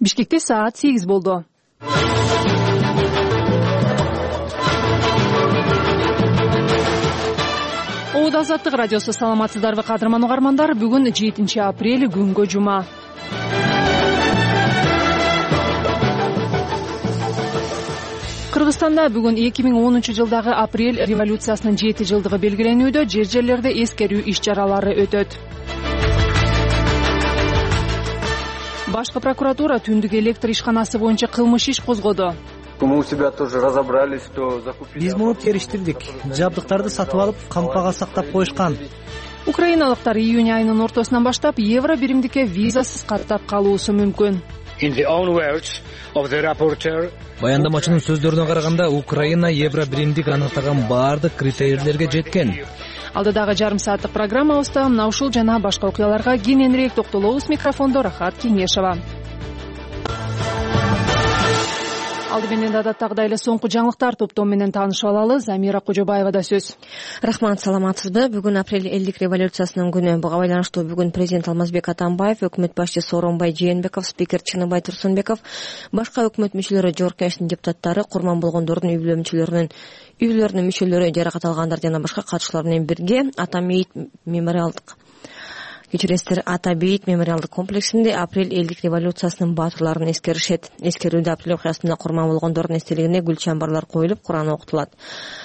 Бишкекте саат 8 болду. Оод Азаттык радиосу, саламатсыздарбы кадырман угармандар. Бүгүн 7 апрель, күнгө жума. Кыргызстанда бүгүн 2010-жылдагы апрель революциясынын 7 жылдыгы белгиленүүдө, жер-жерлерде эскерүү иш-чаралары өтөт. Башкы прокуратура түндүк электр ишканасы боюнча кылмыш иш козгоду. Мы у себя тоже разобрались, что закупили. Биз муну териштирдик. Жабдыктарды сатып алып, кампага сактап коюшкан. Украиналыктар июнь айынын ортосунан баштап евро биримдикке визасыз каттап калуусу мүмкүн. Баяндамачынын сөздөрүнө караганда, Украина евро биримдик аныктаган баардык критерийлерге жеткен. Алдыдагы жарым сааттык программабызда мына ушул жана башка окуяларга кененирээк токтолобуз. Микрофондо Рахат Кеңешова. Алды менен адаттагыдай эле соңку жаңылыктар топтом менен таанышып алалы. Замира Кожобаевада сөз. Рахмат, саламатсызбы? Бүгүн апрель элдик революциясынын күнү. Буга байланыштуу бүгүн президент Алмазбек Атамбаев, өкмөт башчысы Сооронбай Жээнбеков, спикер Чыныбай Турсунбеков, башка өкмөт мүчөлөрү, Жогорку Кеңештин депутаттары, курман болгондордун үй-бүлөлөрүнүн мүчөлөрү, жаракат алгандар жана башка катышуулар менен бирге Ата бейит мемориалдык комплексинде апрель элдик революциясынын баатырларын эскеришет. Эскерүүдө апрель окуясында курман болгондордун эстелигине гүл чамбарлар коюлуп, Куран окутулат.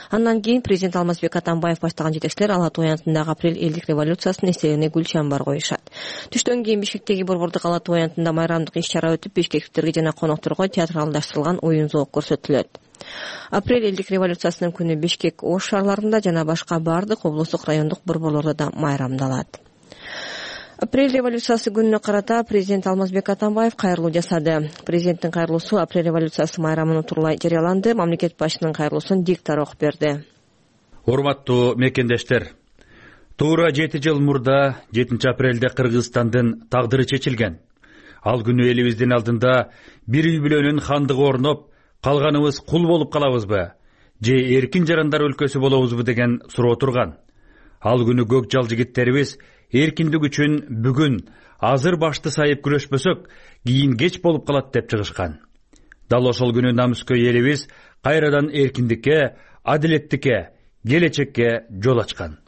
Андан кийин президент Алмазбек Атамбаев баштаган жетекчилер Ала Тоо аянтындагы апрель элдик революциясынын эстелигине гүл чамбар коюшат. Түштөн кийин Бишкектеги борбордук Ала Тоо аянтында майрамдык иш-чара өтүп, бишкектиктерге жана конокторго театралдаштырылган оюн-зоок көрсөтүлөт. Апрель элдик революциясынын күнү Бишкек, Ош шаарларында жана башка баардык облустук райондук борборлордо да майрамдалат. Апрель революциясы күнүнө карата президент Алмазбек Атамбаев кайрылуу жасады. Президенттин кайрылуусу апрель революциясы майрамын утурлай жарыяланды. Мамлекет башчынын кайрылуусун диктор окуп берди. Урматтуу мекендештер, туура 7 жыл мурда 7 апрелде Кыргызстандын тагдыры чечилген. Ал күнү элибиздин алдында бир үй-бүлөнүн хандыгы орноп, калганыбыз кул болуп калабызбы же эркин жарандар өлкөсү болобузбу деген суроо турган. Ал күнү көк жал жигиттерибиз эркиндик үчүн бүгүн азыр башты сайып күрөшпөсөк, кийин кеч болуп калат деп чыгышкан. Дал ошол күнү намыскөй элибиз кайрадан эркиндикке, адилеттикке, келечекке жол ачкан.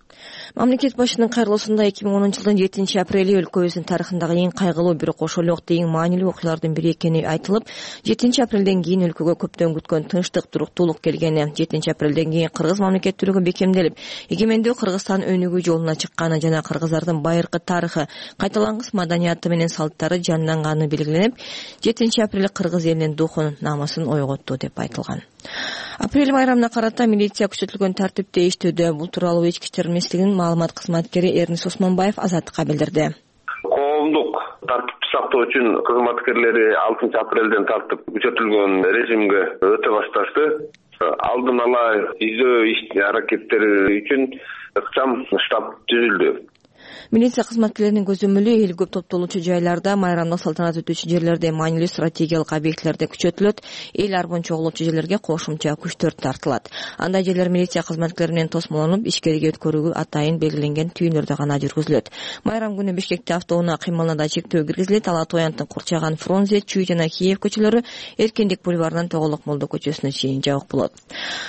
Мамлекет башчынын кайрылуусунда 2010-жылдын 7 апрели өлкөбүздүн тарыхындагы эң кайгылуу, бирок ошол эле убакта эң маанилүү окуялардын бири экени айтылып, 7 апрелден кийин өлкөгө көптөн күткөн тынчтык, туруктуулук келгени, 7 апрелден кийин кыргыз мамлекеттүүлүгү бекемделип, эгемендүү Кыргызстан өнүгүү жолуна чыкканы жана кыргыздардын байыркы тарыхы, кайталангыс маданияты менен салттары жанданганы белгиленип, 7 апрель кыргыз элинин духун, намысын ойготту деп айтылган. Апрель майрамына карата милиция күчөтүлгөн тартипте иштөөдө. Бул тууралуу ички иштер министрлигинин маалымат кызматкери Эрнис Осмонбаев Азаттыкка билдирди. Коомдук тартипти сактоо үчүн кызматкерлери 6 апрелден тартып күчөтүлгөн режимге өтө башташты. Алдын ала издөө иш-аракеттери үчүн ыкчам штаб түзүлдү. Милиция кызматкерлеринин көзөмөлү эл көп топтолуучу жайларда, майрамдык салтанат өтүүчү жерлерде, маанилүү стратегиялык объектилерде күчөтүлөт. Эл арбон чогулуучу жерлерге кошумча күчтөр тартылат. Андай жерлер милиция кызматкерлери менен тосмолонуп, ишкерге өткөрүүгө атайын белгиленген түйүндөрдө гана жүргүзүлөт. Майрам күнү Бишкекте автоунаа кыймылына да чектөө киргизилет. Ала Тоо аянтын Курчаган, Фрунзе, Чүй жана Киев көчөлөрү Эркиндик бульварынан Тоголок Молдо көчөсүнө чейин жабык болот.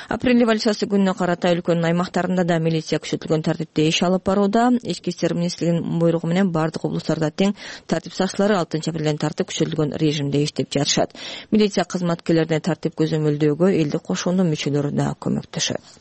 Апрель революциясы күнүнө карата өлкөнүн аймактарында да милиция күчөтүлгөн тартипте иш алып барууда. Ички иштер министрлигинин буйругу менен бардык облустарда тең тартип сакчылары 6 апрелден тартып күчөтүлгөн режимде иштеп жатышат. Милиция кызматкерлерине тартип көзөмөлдөөгө элди кошуундун мүчөлөрү да көмөктөшөт.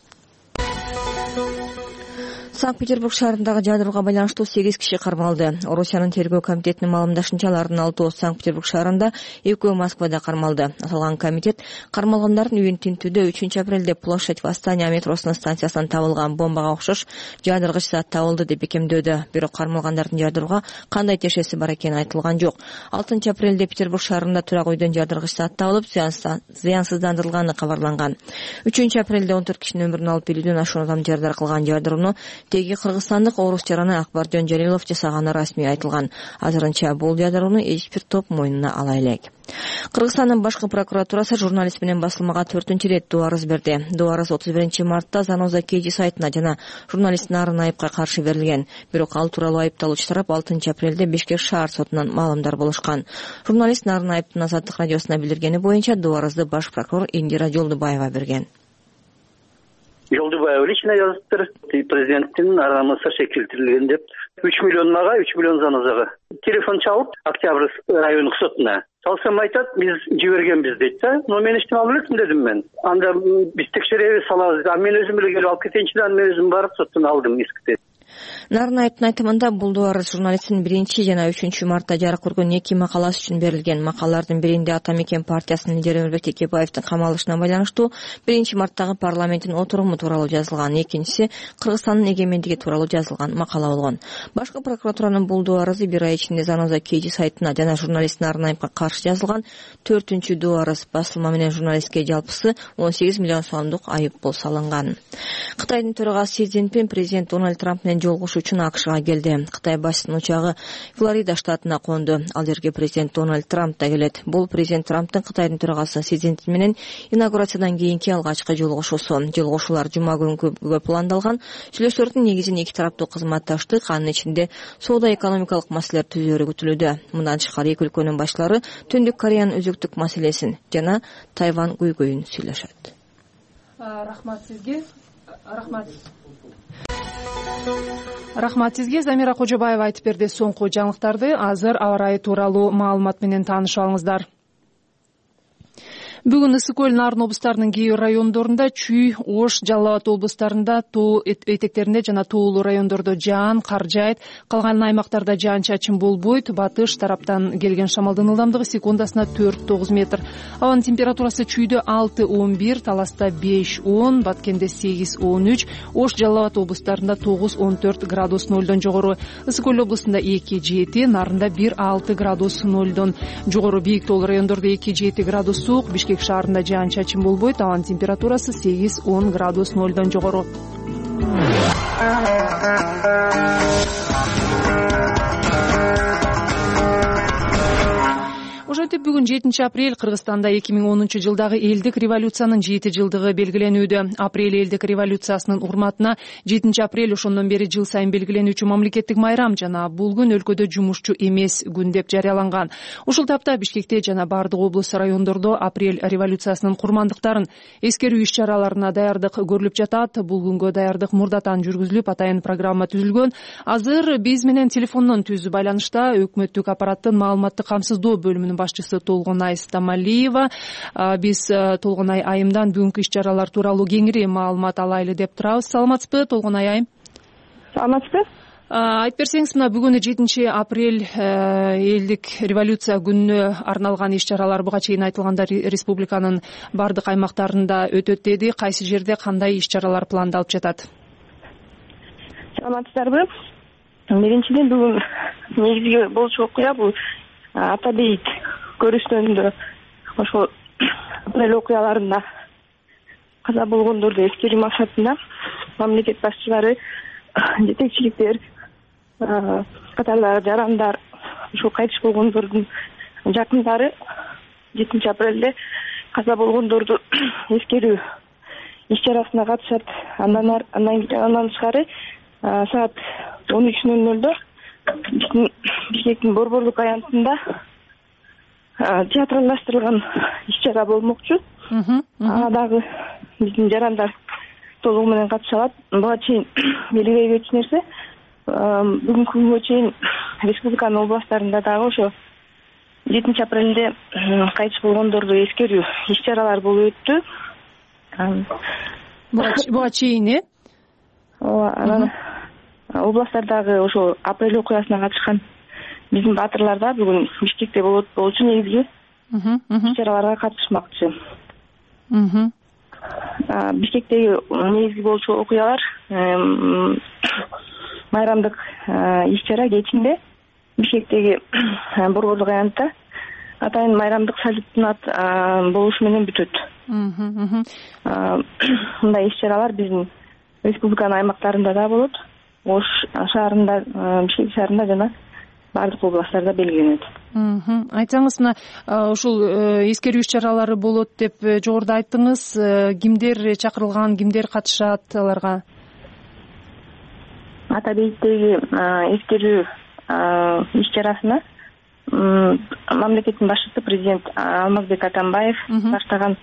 Санкт-Петербург шаарындагы жадырууга байланыштуу 8 киши кармалды. Орусиянын тергөө комитетинин маалымдашынча, алардын 6-ы Санкт-Петербург шаарында, 2-өө Москвада кармалды. Аталган комитет кармалгандардын үйүн тинтүүдө 3 апрелде Площадь Восстания метросунун станциясынан табылган бомбага окшош жадыргыч зат табылды деп бекемдөөдө. Бирок кармалгандардын жадырууга кандай тиешеси бар экени айтылган жок. 6 апрелде Петербург шаарында турак үйдөн жадыргыч зат табылып, зыянсыздандырылганы кабарланган. 3 апрелде 14 кишинин өмүрүн алып келүүдөн ашуун адам жардar кылган жадырууну теги кыргызстандык орус жараны Акбаржон Жалилов жасаганы расмий айтылган. Азырынча бул жадырууну эч бир топ мойнуна ала элек. Кыргызстандын башкы прокуратурасы журналист менен басылмага 4-нчү ирет доо арыз берди. Доо арыз 31 мартта Заноза Кеji сайтына жана журналист Нарын Айыпка каршы берилген. Бирок ал тууралуу айыпталуучу тарап 6 апрелде Бишкек шаар сотунан маалымдар болушкан. Журналист Нарын Айыптын Азаттык радиосуна билдиргени боюнча доо арызды баш прокурор Индира Жолдубаева берген. Жолдубаева лично жазыптыр. Президенттин арамысы шекилтирилген деп 3 миллион мага, 3 миллион Занозага. Телефон чалып, Октябрь райондук сотуна. Салсам айтат, биз жибергенбиз дейт да. Но мен эчтеме алып элем дедим мен. Анда биз текшеребиз, салабыз. Мен өзүм эле келип алып кетейинчи да, мен өзүм барып соттон алдым искти. Нарын Айыптын айтымында бул доо арыз журналисттин 1 жана 3 мартта жарык көргөн 2 макаласы үчүн берилген. Макалалардын биринде Ата Мекен партиясынын лидери Өмүрбек Текебаевдин камалышына байланыштуу 1 марттагы парламенттин отуруму тууралуу жазылган, экинчиси Кыргызстандын эгемендиги тууралуу жазылган макала болгон. Башкы прокуратуранын бул доо арызы 1 ай ичинде Заноза Кеji сайтына жана журналист Нарын Айыпка каршы жазылган 4-нчү доо арыз. Басылма менен журналистке жалпысы 18 миллион сомдук айып пул салынган. Кытайдын төрагасы Си Цзиньпин президент Дональд Трамп менен жолугушуу үчүн АКШга келди. Кытай башчысынын учагы Флорида штатына конду. Ал жерге президент Дональд Трамп да келет. Бул президент Трамптын Кытайдын төрагасы Си Цзиньпин менен инаугурациядан кийинки алгачкы жолугушуусу. Жолугушуулар жума күнгө пландалган. Сүйлөшүүлөрдүн негизин эки тараптуу кызматташтык, анын ичинде соода-экономикалык маселелер түзөөрү күтүлүүдө. Мындан тышкары эки өлкөнүн башчылары Түндүк Кореянын өзөктүк маселесин жана Тайвань көйгөйүн сүйлөшөт. Рахмат сизге. Рахмат сизге. Замира Кожобаева айтып берди соңку жаңылыктарды. Азыр аба ырайы тууралуу маалымат менен таанышып алыңыздар. Бүгүн Ысык көл, Нарын облустарынын кээ бир райондорунда, Чүй, Ош, Жалал Абад облустарында, тоо этектеринде жана тоолуу райондордо жаан, кар жаайт. Калган аймактарда жаан-чачын болбойт. Батыш тараптан келген шамалдын ылдамдыгы секундасына 4-9 метр. Абанын температурасы Чүйдө 6-11, Таласта 5-10, Баткенде 8-13, Ош, Жалал Абад облустарында 9-14 градус нолдон жогору. Ысык көл облусунда 2-7, Нарында 1-6 градус нолдон жогору. Бийик тоолуу райондордо 2-7 градус суук. Бишкек шаарында жаан-чачын болбойт. Абанын температурасы 8-10 градус нолдон жогору. Ошентип бүгүн 7 апрель Кыргызстанда 2010 жылдагы элдик революциянын 7 жылдыгы белгиленүүдө. Апрель элдик революциясынын урматына 7 апрель ошондон бери жыл сайын белгиленүүчү мамлекеттик майрам жана бул күн өлкөдө жумушчу эмес күн деп жарыяланган. Ушул тапта Бишкекте жана бардык облус райондордо апрель революциясынын курмандыктарын эскерүү иш-чараларына даярдык көрүлүп жатат. Бул күнгө даярдык мурдатан жүргүзүлүп, атайын программа түзүлгөн. Азыр биз менен телефондон түзүү байланышта өкмөттүк аппараттын маалыматтык камсыздоо бөлүмүнүн башчысы Толгонай Стамалиева. Биз Толгонай айымдан бүгүнкү иш-чаралар тууралуу кеңири маалымат алайлы деп турабыз. Саламатсызбы, Толгонай айым? Саламатсызбы. Айтып берсеңиз, мына бүгүн 7 апрель элдик революция күнүнө арналган иш-чаралар буга чейин айтылганда республиканын бардык аймактарында өтөт деди. Кайсы жерде кандай иш-чаралар пландалып жатат? Саламатсыздарбы? Биринчиден бүгүн негизги болчу окуя бул Ата бейит көрүнүшүндө ошол апрель окуяларында каза болгондорду эскерүү максатында мамлекет башчылары, жетекчиликтер, катарлары, жарандар, ошол кайтыш болгондордун жакындары 7 апрелде каза болгондорду эскерүү иш-чарасына катышат. Андан тышкары саат 13:00 Бишкектин борборлук аянтында театралдаштырылган иш-чара болмокчу. Ага дагы биздин жарандар толугу менен катыша алат. Буга чейин белгилейбечү нерсе, бүгүнкү күнгө чейин республиканын областтарында дагы ошо 7 апрелде кайтыш болгондорду эскерүү иш-чаралар болуп өттү. Буга чейин анан областтардагы ошо апрель окуясына катышкан биздин баатырлар да бүгүн Бишкекте болчу негизги иш-чараларга катышмакчы. Бишкектеги негизги болчу окуялар майрамдык иш-чара кечинде Бишкектеги борборлук аянтта атайын майрамдык салюттун болушу менен бүтөт. Мындай иш-чаралар биздин республиканын аймактарында да болот. Ош шаарында, Бишкек шаарында жана баардык областтарда белгиленет. Айтсаңыз, мына ушул эскерүү иш-чаралары болот деп жогоруда айттыңыз. Кимдер чакырылган, кимдер катышат аларга? Ата бейиттеги эскерүү иш-чарасына мамлекеттин башчысы президент Алмазбек Атамбаев баштаган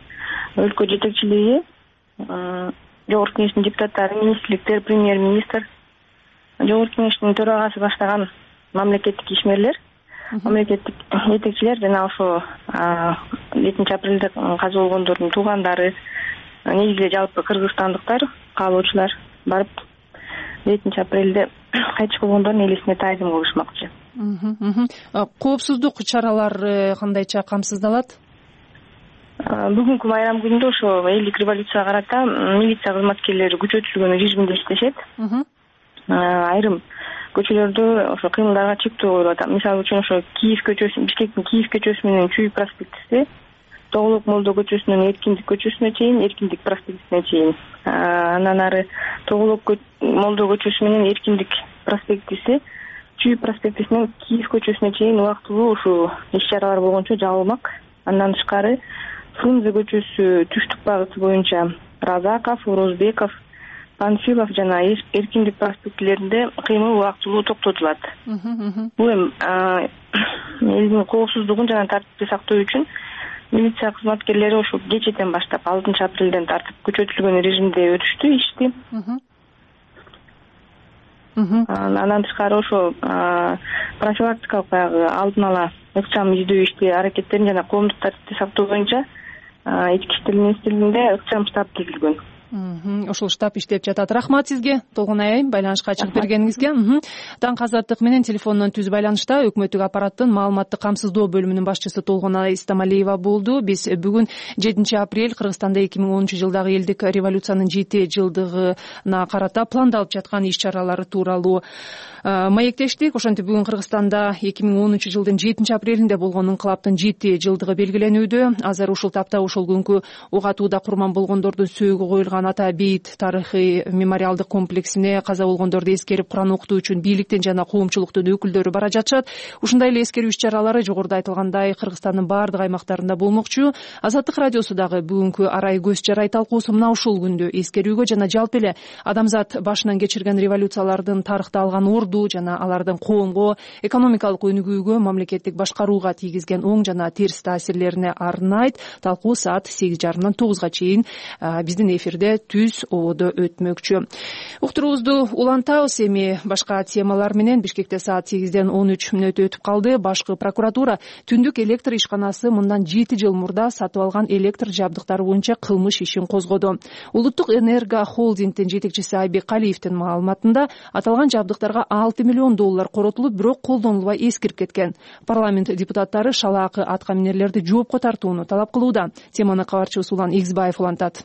өлкө жетекчилиги, Жогорку Кеңештин депутаттары, министрликтер, премьер-министр, Жогорку Кеңештин төрагасы баштаган мамлекеттик ишмерлер, мамлекеттик жетекчилер жана ошо 7 апрелде каза болгондордун туугандары, негизи жалпы кыргызстандыктар, каалоочулар барып 7 апрелде кайтыш болгондордун элесине таазим кылышмакчы. Коопсуздук чаралары кандайча камсыздалат? Бүгүнкү майрам күнүндө ошо элдик революцияга карата милиция кызматкерлери күчөтүлгөн режимде иштешет. Айрым көчөлөрдө ошо кыймылдарга чектөө коюлуп атат. Мисалы үчүн ошо Киев көчөсү, Бишкектин Киев көчөсү менен Чүй проспектиси, Тоголок Молдо көчөсүнөн Эркиндик көчөсүнө чейин, Эркиндик проспектисине чейин. Андан ары Тоголок Молдо көчөсү менен Эркиндик проспектиси, Чүй проспектисинен Киев көчөсүнө чейин убактылуу ушул иш-чаралар болгончо жабылмак. Андан тышкары Фрунзе көчөсү түштүк багыты боюнча Разаков, Орозбеков, Панфилов жана Эркиндик проспектилеринде кыймыл убактылуу токтотулат. Бул эми элдин коопсуздугун жана тартипти сактоо үчүн милиция кызматкерлери ошо кечеден баштап 6 апрелден тартып күчөтүлгөн режимде өтүштү ишти. Андан тышкары ошо профилактикалык баягы алдын ала ыкчам издөө ишти аракеттерин жана коомдук тартипти сактоо боюнча Ички иштер министрлигинде ыкчам штаб түзүлгөн. Ошол штаб иштеп жатат. Рахмат сизге, Толгонай айым, байланышка чыгып бергениңизге. Даңк Азаттык менен телефондон түз байланышта өкмөттүк аппараттын маалыматтык камсыздоо бөлүмүнүн башчысы Толгонай Истамалиева болду. Биз бүгүн 7 апрель Кыргызстанда 2010-жылдагы элдик революциянын 7 жылдыгына карата пландалып жаткан иш-чаралары тууралуу маектештик. Ошентип бүгүн Кыргызстанда 2010-жылдын 7 апрелинде болгон инкылаптын 7 жылдыгы белгиленүүдө. Азыр ушул тапта ошол күнкү ок атууда курман болгондордун сөөгү коюлган Ата бейит тарыхый мемориалдык комплексине каза болгондорду эскерип Куран окутуу үчүн бийликтин жана коомчулуктун өкүлдөрү бара жатышат. Ушундай эле эскерүү иш-чаралары жогоруда айтылгандай Кыргызстандын баардык аймактарында болмокчу. Азаттык радиосу дагы бүгүнкү арай көз жарай талкуусу мына ушул күндө эскерүүгө жана жалпы эле адамзат башынан кечирген революциялардын тарыхта алган орду жана алардын коомго, экономикалык өнүгүүгө, мамлекеттик башкарууга тийгизген оң жана терс таасирлерине арнайт. Талкуу саат 8:30-дан 9-га чейин биздин эфирде түз ободо өтмөкчү. Уктуруубузду улантабыз. Эми башка темалар менен Бишкекте саат 8-ден 13 мүнөт өтүп калды. Башкы прокуратура түндүк электр ишканасы мындан 7 жыл мурда сатып алган электр жабдыктары боюнча кылмыш ишин козгоду. Улуттук энерго холдингдин жетекчиси Айбек Калиевдин маалыматында аталган жабдыктарга $6 миллион коротулуп, бирок колдонулбай эскирип кеткен. Парламент депутаттары шалаакы аткаминерлерди жоопко тартууну талап кылууда. Теманы кабарчыбыз Улан Игзбаев улантат.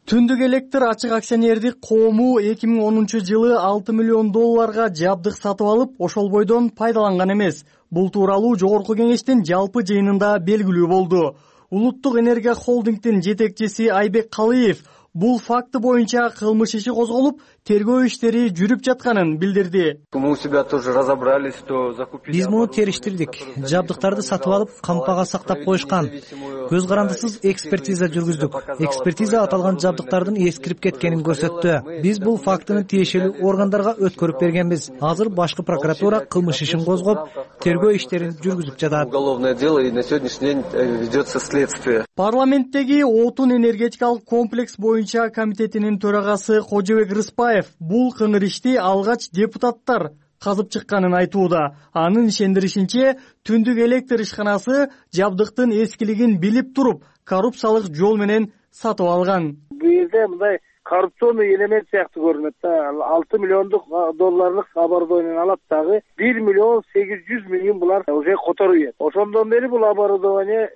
Түндүк электр ачык акционердик коому 2010-жылы $6 миллион жабдык сатып алып, ошол бойдон пайдаланган эмес. Бул тууралуу Жогорку Кеңештин жалпы жыйынында белгилүү болду. Улуттук энерго холдингдин жетекчиси Айбек Калиев бул факты боюнча кылмыш иши козголуп, тергөө иштери жүрүп жатканын билдирди. Биз муну териштирдик. Жабдыктарды сатып алып, кампага сактап коюшкан. Көз карандысыз экспертиза жүргүздүк. Экспертиза аталган жабдыктардын эскирип кеткенин көрсөттү. Биз бул фактыны тиешелүү органдарга өткөрүп бергенбиз. Азыр башкы прокуратура кылмыш ишин козгоп, тергөө иштерин жүргүзүп жатат. Уголовное дело, и на сегодняшний день ведется следствие. Парламенттеги отун энергетикалык комплекс боюнча комитетинин төрагасы Кожобек Рыспаев бул кыңыр ишти алгач депутаттар казып чыкканын айтууда. Анын ишендиришинче, түндүк электр ишканасы жабдыктын эскилигин билип туруп, коррупциялык жол менен сатып алган. Бул жерде мындай коррупционный элемент сыяктуу көрүнөт да. $6 миллиондук оборудование алат дагы $1 миллион 800 000 булар уже которуп ийет. Ошондон бери бул оборудование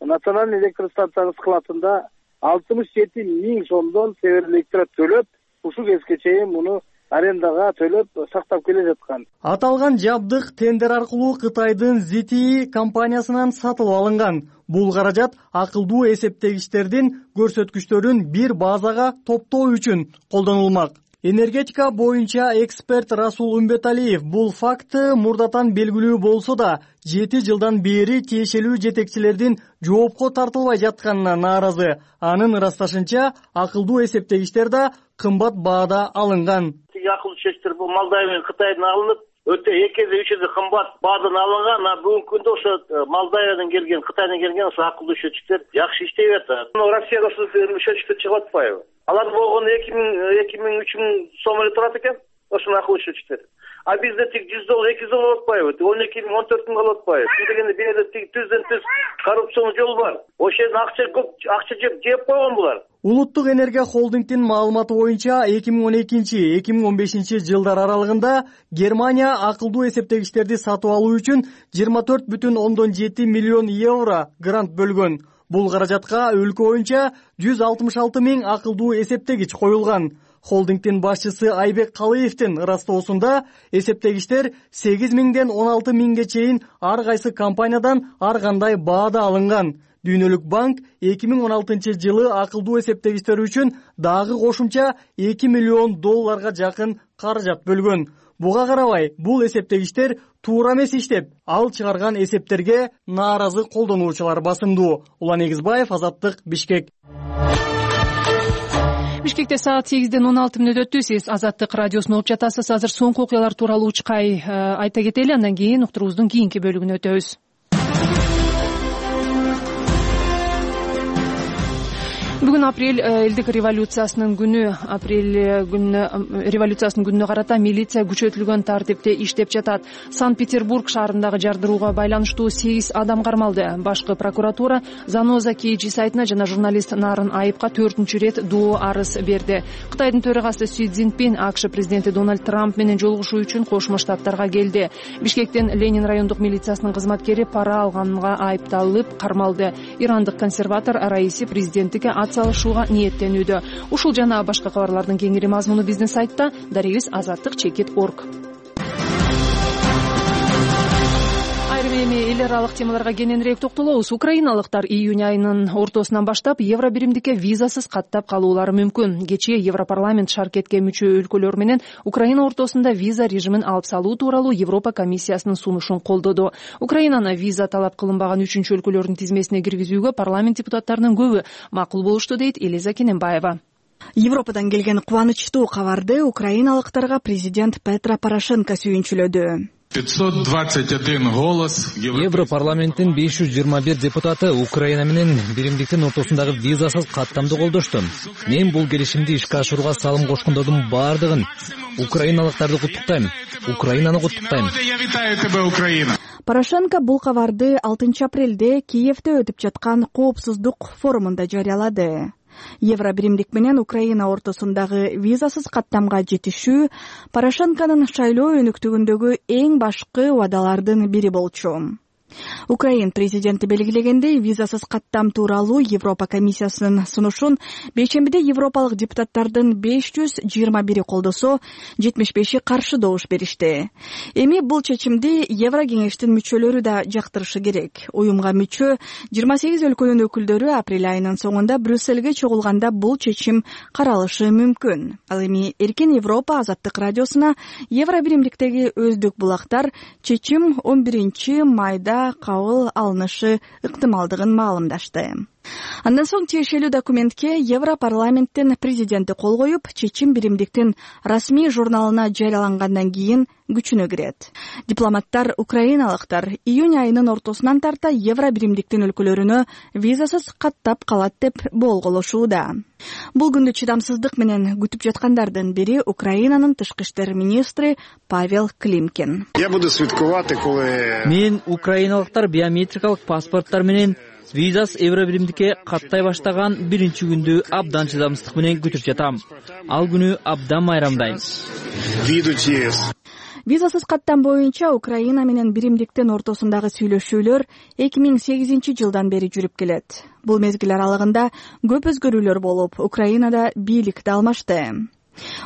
национальный электростанциянын складында 67 000 сомдон Северэлектро төлөп, ушул кезге чейин муну арендага төлөп сактап келе жаткан. Аталган жабдык тендер аркылуу Кытайдын ZTE компаниясынан сатылып алынган. Бул каражат акылдуу эсептегичтердин көрсөткүчтөрүн бир базага топтоо үчүн колдонулмак. Энергетика боюнча эксперт Расул Умбеталиев бул факт мурдатан белгилүү болсо да 7 жылдан бери тиешелүү жетекчилердин жоопко тартылбай жатканына нааразы. Анын ырасташынча, акылдуу эсептегичтер да кымбат баада алынган. Акылдуу чечтер бул Молдовия менен Кытайдан алынып, өтө 2-3 кымбат баадан алынган. Бүгүнкү күндө ошо Молдовиядан келген, Кытайдан келген ошо акылдуу счетчиктер жакшы иштеп атат. Россияда ошо счетчиктер чыгып атпайбы? Алар болгону 2000-3000 сом эле турат экен, ошонун акылдуу счетчиктери. А бизде тик $100, $200 болуп атпайбы? 12 000, 14 000 болуп атпайбы? Дегенде бирде тик түздөн түз коррупциялык жол бар. Ошол жерден акча көп, акча жеп койгон булар. Улуттук энергия холдингдин маалыматы боюнча 2012-2015 жылдар аралыгында Германия акылдуу эсептегичтерди сатып алуу үчүн 24,7 миллион евро грант бөлгөн. Бул каражатка өлкө боюнча 166 000 акылдуу эсептегич коюлган. Холдингдин башчысы Айбек Калыевдин ырастоосунда эсептегичтер 8 000ден 16 000ге чейин ар кайсы компаниядан ар кандай баада алынган. Дүйнөлүк банк 2016 жылы акылдуу эсептегичтер үчүн дагы кошумча $2 миллион жакын каражат бөлгөн. Буга карабай, бул эсептегичтер туура эмес иштеп, ал чыгарган эсептерге нааразы колдонуучулар басымдуу. Улан Эгизбаев, Азаттык, Бишкек. Бишкекте саат 8:16 өттү. Сиз Азаттык радиосун угуп жатасыз. Азыр соңку окуялар тууралуу учкай айта кетели, андан кийин уктуруубуздун кийинки бөлүгүнө өтөбүз. Бүгүн апрель элдик революциясынын күнү. Революциясынын күнүнө карата милиция күчөтүлгөн тартипте иштеп жатат. Санкт-Петербург шаарындагы жардырууга байланыштуу 8 адам кармалды. Башкы прокуратура Заноза KG сайтына жана журналист Нарын Айыпка 4-чү рет доо арыз берди. Кытайдын төрагасы Си Цзиньпин АКШ президенти Дональд Трамп менен жолугушуу үчүн Кошмо Штаттарга келди. Бишкектен Ленин райондук милициясынын кызматкери пара алганга айыпталып кармалды. Ирандык консерватор Раиси президенттикке салышууга ниеттенүүдө. Ушул жана башка кабарлардын кеңири мазмуну биздин сайтта daribis.azattik.org. Айрым эми эл аралык темаларга кененирээк токтолобуз. Украиналыктар июнь айынын ортосунан баштап евро биримдикке визасыз каттап калуулары мүмкүн. Кечээ Европарламент шаркетке мүчө өлкөлөр менен Украина ортосунда виза режимин алып салуу тууралуу Европа комиссиясынын сунушун колдоду. Украинаны виза талап кылынбаган 3-чү өлкөлөрдүн тизмесине киргизүүгө парламент депутаттарынын көбү макул болушту, дейт Элиза Кененбаева. Европадан келген кубанычтуу кабарды украиналыктарга президент Петро Порошенко сүйүнчүлөдү. 521 голос. Европарламенттин 521 депутаты Украина менен биримдиктин ортосундагы визасыз каттамды колдошту. Мен бул келишимди ишке ашырууга салым кошкондордун бардыгын украиналыктарды куттуктайм. Украинаны куттуктайм. Порошенко бул кабарды 6 апрелде Киевде өтүп жаткан коопсуздук форумунда жарыялады. Евро биримдик менен Украина ортосундагы визасыз каттамга жетишүү Порошенконун шайлоо өнүктүгүндөгү эң башкы убадалардын бири болчу. Украин президенти белгилегендей, визасыз каттам тууралуу Европа комиссиясынын сунушун бейшембиде европалык депутаттардын 521 колдосо, 75 каршы добуш беришти. Эми бул чечимди Евро кеңештин мүчөлөрү да жактырышы керек. Уюмга мүчө 28 өлкөнүн өкүлдөрү апрель айынын соңунда Брюссельге чогулганда бул чечим каралышы мүмкүн. Ал эми Эркин Европа Азаттык радиосуна Евро биримдиктеги өздүк булактар чечим 11 майда кабыл алынышы ыктымалдыгын маалымдашты. Андан соң тиешелүү документке Европарламенттин президенти кол коюп, чечим биримдиктин расмий журналына жарыялангандан кийин күчүнө кирет. Дипломаттар украиналыктар июнь айынын ортосунан тарта евро биримдиктин өлкөлөрүнө визасыз каттап калат деп болголошууда. Бул күндү чыдамсыздык менен күтүп жаткандардын бири Украинанын тышкы иштер министри Павел Климкин. Мен украиналыктар биометрикалык паспорттор менен визасыз евро биримдикке каттай баштаган биринчи күндү абдан чыдамсыздык менен күтүп жатам. Ал күнү абдан майрамдайм. Визасыз каттам боюнча Украина менен биримдиктин ортосундагы сүйлөшүүлөр 2008 жылдан бери жүрүп келет. Бул мезгил аралыгында көп өзгөрүүлөр болуп, Украинада бийликти алмашты.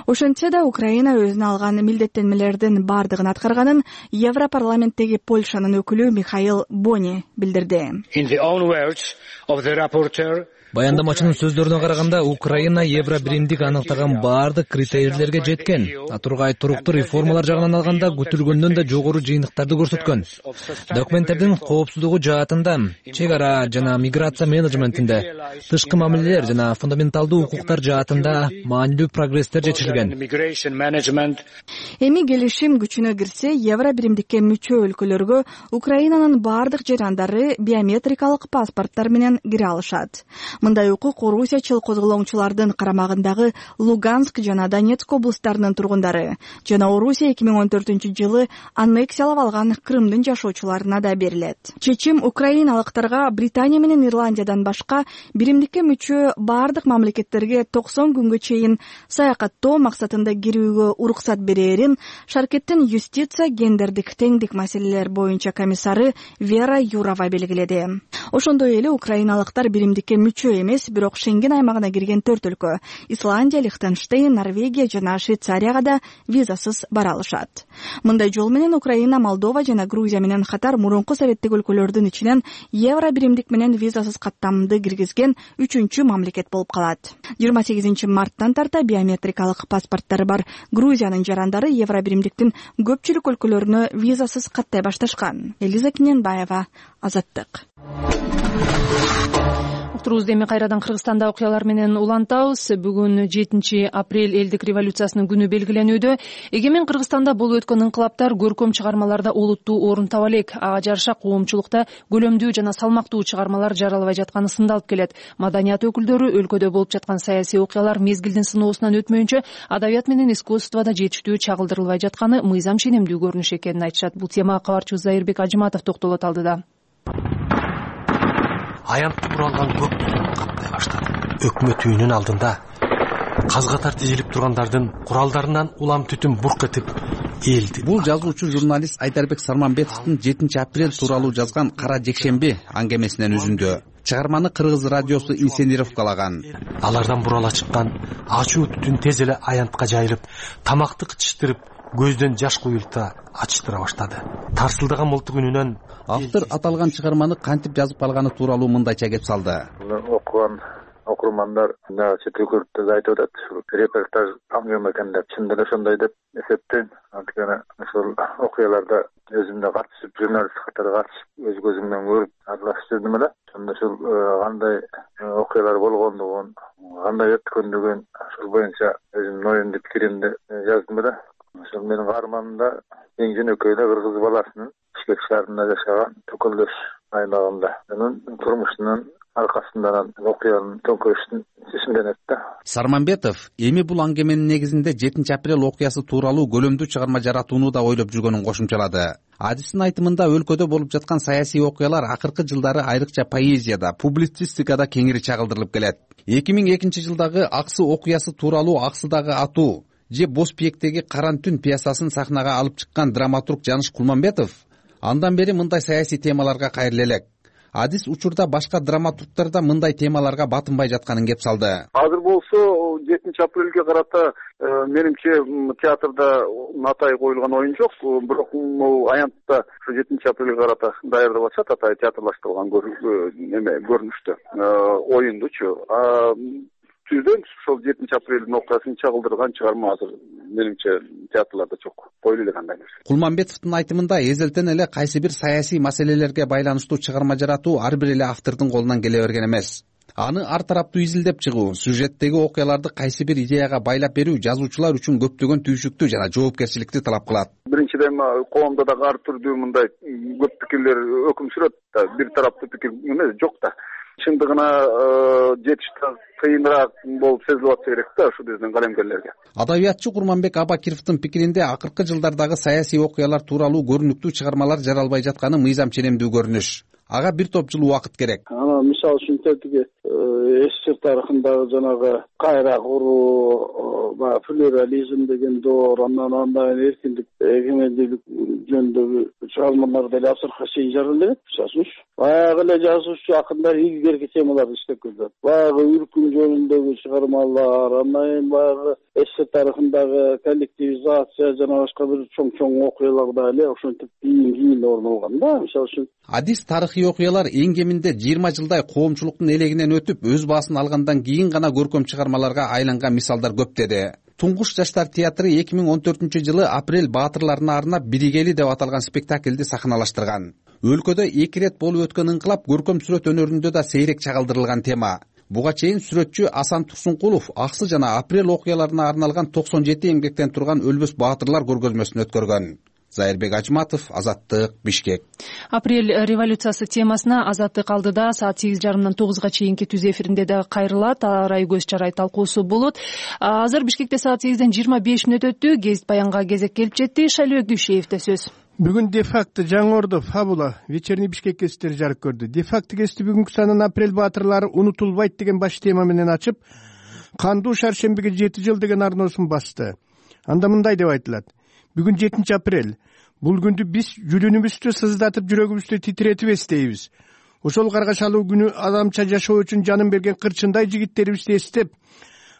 Ошентсе да Украина өзүнө алган милдеттенмелердин бардыгын аткарганын Европарламенттеги Польшанын өкүлү Михаил Бони билдирди. Баяндамачынын сөздөрүнө караганда, Украина евро биримдик аныктаган баардык критерийлерге жеткен. Тургай туруктуу реформалар жагынан алганда күтүлгөндөн да жогору жыйынтыктарды көрсөткөн. Документтердин коопсуздугу жаатында, чек ара жана миграция менеджментинде, тышкы мамилелер жана фундаменталдуу укуктар жаатында маанилүү прогресстер жетишилген. Эми келишим күчүнө кирсе, евро биримдикке мүчө өлкөлөргө Украинанын баардык жарандары биометрикалык паспорттар менен кире алышат. Мындай укук орусиячыл козголоңчулардын карамагындагы Луганск жана Донецк облустарынын тургундары жана Орусия 2014-жылы аннексиялап алган Крымдын жашоочуларына да берилет. Чечим украиналыктарга Британия менен Ирландиядан башка биримдикке мүчө баардык мамлекеттерге 90 күнгө чейин саякаттоо максатында кирүүгө уруксат берерин Шаркеттин юстиция гендердик теңдик маселелер боюнча комиссары Вера Юрова белгиледи. Ошондой эле украиналыктар биримдикке мүчө эмес, бирок Шенген аймагына кирген 4 өлкө — Исландия, Лихтенштейн, Норвегия жана Швейцарияга да визасыз бара алышат. Мындай жол менен Украина, Молдова жана Грузия менен катар мурунку советтик өлкөлөрдүн ичинен евро биримдик менен визасыз каттамды киргизген 3-чү мамлекет болуп калат. 28 марттан тарта биометрикалык паспорттары бар Грузиянын жарандары евро биримдиктин көпчүлүк өлкөлөрүнө визасыз каттай башташкан. Элиза Киненбаева, Азаттык. Уктурубузду эми кайрадан Кыргызстанда окуялар менен улантабыз. Бүгүн 7 апрель элдик революциясынын күнү белгиленүүдө. Эгемен Кыргызстанда болуп өткөн инкылаптар көркөм чыгармаларда олуттуу орун таба элек. Ага жараша коомчулукта көлөмдүү жана салмактуу чыгармалар жаралбай жатканы сындалып келет. Маданият өкүлдөрү өлкөдө болуп жаткан саясий окуялар мезгилдин сыноосунан өтмөйүнчө адабият менен искусствода жетиштүү чагылдырылбай жатканы мыйзам ченемдүү көрүнүш экенин айтышат. Бул темага кабарчыбыз Зайырбек Ажыматов токтолот алдыда. Аянтты буралган көк түтүн каптай баштады. Өкмөт үйүнүн алдында каз катар тизилип тургандардын куралдарынан улам түтүн бурк этип элди. Бул жазуучу журналист Айдарбек Сарманбетовдун 7 апрель тууралуу жазган Кара жекшемби аңгемесинен үзүндү. Чыгарманы Кыргыз радиосу инсценировкалаган. Алардан бурала чыккан ачуу түтүн тез эле аянтка жайылып, тамакты кычыштырып, көздөн жаш куюлта ачыштыра баштады. Тарсылдаган мылтык үнүнөн автор аталган чыгарманы кантип жазып алганы тууралуу мындайча кеп салды. Окуган окурмандар чет өлкөлөрдө да айтып атат, репортаж аңгем экен деп, чындап эле ошондой деп эсептейм. Анткени ошол окуяларда өзүм да катышып, журналист катары катышып, өз көзүм менен көрүп аралашып жүрдүм эле. Ошондо ушул кандай окуялар болгондугун, кандай өткөндүгүн ошол боюнча өзүмдүн оюмду, пикиримди жаздым эле. Ошол менин каарманымда эң жөнөкөй эле кыргыз баласынын Бишкек шаарында жашаган Төкөлдөш аймагында анын турмушунун аркасынан окуянын төңкөрүштүн чечимденет да. Сарманбетов эми бул аңгеменин негизинде 7 апрель окуясы тууралуу көлөмдүү чыгарма жаратууну да ойлоп жүргөнүн кошумчалады. Адистин айтымында өлкөдө болуп жаткан саясий окуялар акыркы жылдары айрыкча поэзияда, публицистикада кеңири чагылдырылып келет. 2002-жылдагы Аксы окуясы тууралуу Аксыдагы атуу же Боз пиектеги Каран түн пьесасын сахнага алып чыккан драматург Жаныш Кулманбетов андан бери мындай саясий темаларга кайрыла элек. Адис учурда башка драматургдар да мындай темаларга батынбай жатканын кеп салды. Азыр болсо 7 апрелге карата менимче театрда атай коюлган оюн жок, бирок аянтта 7 апрелге карата даярдап атышат, атай театрлаштырылган көрүнүштө оюндучу. Түздөн ошол 7 апрелдин окуясын чагылдырган чыгарма азыр менимче театрларда жок, коюлу элек андай нерсе. Кулманбетовдун айтымында эзелтен эле кайсы бир саясий маселелерге байланыштуу чыгарма жаратуу ар бир эле автордун колунан келе берген эмес. Аны ар тараптуу изилдеп чыгуу, сюжеттеги окуяларды кайсы бир идеяга байлап берүү жазуучулар үчүн көптөгөн түйшүктү жана жоопкерчиликти талап кылат. Биринчиден коомдо дагы ар түрдүү мындай көп пикирлер өкүм сүрөт да, бир тараптуу пикир эмес жок да. Чындыгына жетишти кыйыныраак болуп сезилип атса керек да ушу биздин калемгерлерге. Адабиятчы Курманбек Абакировдун пикиринде акыркы жылдардагы саясий окуялар тууралуу көрүнүктүү чыгармалар жаралбай жатканы мыйзам ченемдүү көрүнүш. Ага бир топ жыл убакыт керек. Мисалы үчүн тетиги СССР тарыхындагы жанагы кайра куруу, плюрализм деген доор, андан эркиндик, эгемендүүлүк жөнүндөгү чыгармалар деле азыркыга чейин жаралбайт. Мисалы үчүн баягы эле жазуучу акындар илгерки темаларды иштеп келди. Баягы үркүм жөнүндөгү чыгармалар, андан баягы СССР тарыхындагы коллективизация жана башка бир чоң окуяларда эле ошентип кийин орун алган да. Мисалы үчүн Адис тарыхый окуялар эң кеминде 20 жылдай коомчулуктун элегинен өтүп, өз баасын алгандан кийин гана көркөм чыгармаларга айланган мисалдар көп деди. Туңгуш жаштар театры 2014-жылы апрель баатырларына арнап «Биригели» деп аталган спектакльди сахналаштырган. Өлкөдө 2 рет болуп өткөн ыңкылап көркөм сүрөт өнөрүндө да сейрек чагылдырылган тема. Буга чейин сүрөтчү Асан Турсункулов аксы жана апрель окуяларына арналган 97 эмгектен турган өлбөс баатырлар көргөзмөсүн өткөргөн. Зайырбек Ажматов, Азаттык, Бишкек. Апрель революциясы темасына Азаттык алдыда саат 8:30-dan 9-га чейинки түз эфиринде да кайрылат. Арай көз чарай талкуусу болот. Азыр Бишкекте саат 8:25 өттү. Гезит баянга кезек келип жетти. Шайлыбек Дүйшеевде сөз. Бүгүн де-факто Жаңы Ордо, Фабула, Вечерний Бишкек гезиттери жарык көрдү. Де-факто гезити бүгүнкү санын апрель баатырлары унутулбайт деген баш тема менен ачып, кандуу шаршембиге 7 жыл деген арноосун басты. Анда мындай деп айтылат: бүгүн 7 апрель. Бул күндү биз жүрүнүбүздү сыздатып, жүрөгүбүздү титиретип эстейбиз. Ошол каргашалуу күнү адамча жашоо үчүн жанын берген кырчындай жигиттерибизди эстеп,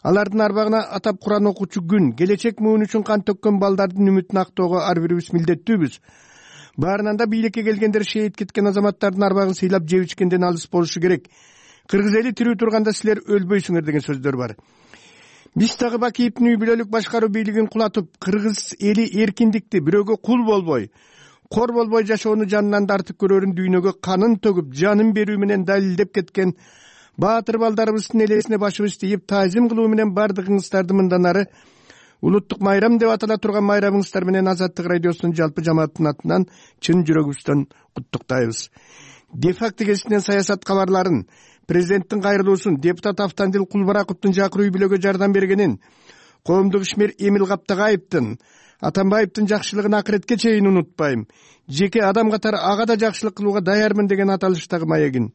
алардын арбагына атап Куран окуучу күн, келечек муун үчүн кан төккөн балдардын үмүтүн актоого ар бирибиз милдеттүүбүз. Баарынан да бийликке келгендер шейит кеткен азаматтардын арбагын сыйлап жеп ичкенден алыс болушу керек. Кыргыз эли тирүү турганда силер өлбөйсүңөр деген сөздөр бар. Биз дагы Бакиевдин үй бүлөлүк башкаруу бийлигин кулатып, кыргыз эли эркиндикти, бирөөгө кул болбой, кор болбой жашоону жанынан тартып көрөрүн дүйнөгө канын төгүп, жанын берүү менен далилдеп кеткен баатыр балдарыбыздын элесине башыбызды ийип, таазим кылуу менен бардыгыңыздарды мындан ары улуттук майрам деп атала турган майрамыңыздар менен Азаттык радиосунун жалпы жамааттын атынан чын жүрөгүбүздөн куттуктайбыз. Де-факто гезитинен саясат кабарларын, президенттин кайрылуусун, депутат Автандил Кулбараковдун жакыр үй бүлөгө жардам бергенин, коомдук ишмер Эмил Каптагаевдин, Атамбаевдин жакшылыгын акыретке чейин унутпайм. Жеке адам катары ага да жакшылык кылууга даярмын деген аталыштагы маегин.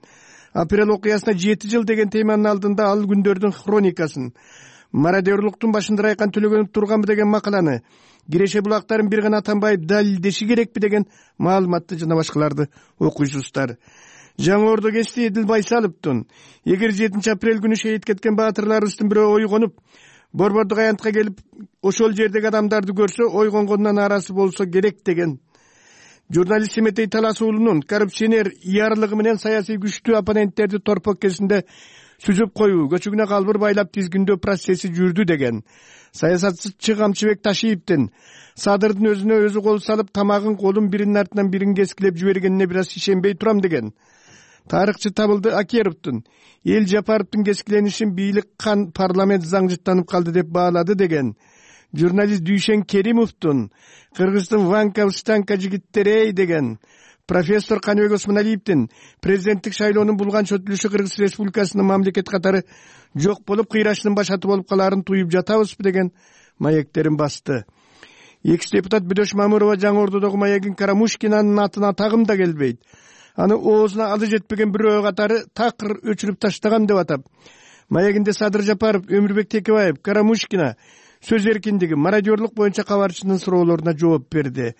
Апрель окуясына 7 жыл деген теманын алдында ал күндөрдүн хроникасын, мародерлуктун башында Райкан Төлөгөнов турганбы деген макаланы, Киреше булактарын бир гана Атамбаев далилдеши керекпи деген маалыматты жана башкаларды окуйсуздар. Жаңы Ордо гезити Эдил Байсаловдун эгер 7 апрель күнү шейит кеткен баатырларыбыздын бирөө ойгонуп, борбордук аянтка келип, ошол жердеги адамдарды көрсө, ойгонгондон арасы болсо керек деген. Журналист Семетей Талас уулунун коррупционер ыярлыгы менен саясий күчтүү оппоненттерди торпок кезинде сүзүп коюу, көчүгүнө калбыр байлап тизгиндөө процесси жүрдү деген. Саясатчы Камчыбек Ташиевдин Садырдын өзүнө өзү кол салып, тамагын колун биринин артынан бирин кескилеп жибергенине бир аз ишенбей турам деген. Тарыхчы Табылды Акеровдун Эл Жапаровдун кескиленишин бийлик кан парламент заңжыттанып калды деп баалады деген. Журналист Дүйшен Керимовдун Кыргыздын Ванка-Встанка жигиттери деген. Профессор Каныбек Осмоналиевдин президенттик шайлоонун булган чөтүлүшү Кыргыз Республикасынын мамлекет катары жок болуп, кыйрашынын башаты болуп калаарын туюп жатабызбы деген маектерин басты. Экс-депутат Бөдөш Мамырова Жаңы Ордодогу маегин Карамушкинанын атына тагым да келбейт. Аны оозуна алы жетпеген бирөө катары такыр өчүрүп таштаган деп атап, маегинде Садыр Жапаров, Өмүрбек Текебаев, Карамушкина сөз эркиндиги, мародерлук боюнча кабарчынын суроолоруна жооп берди.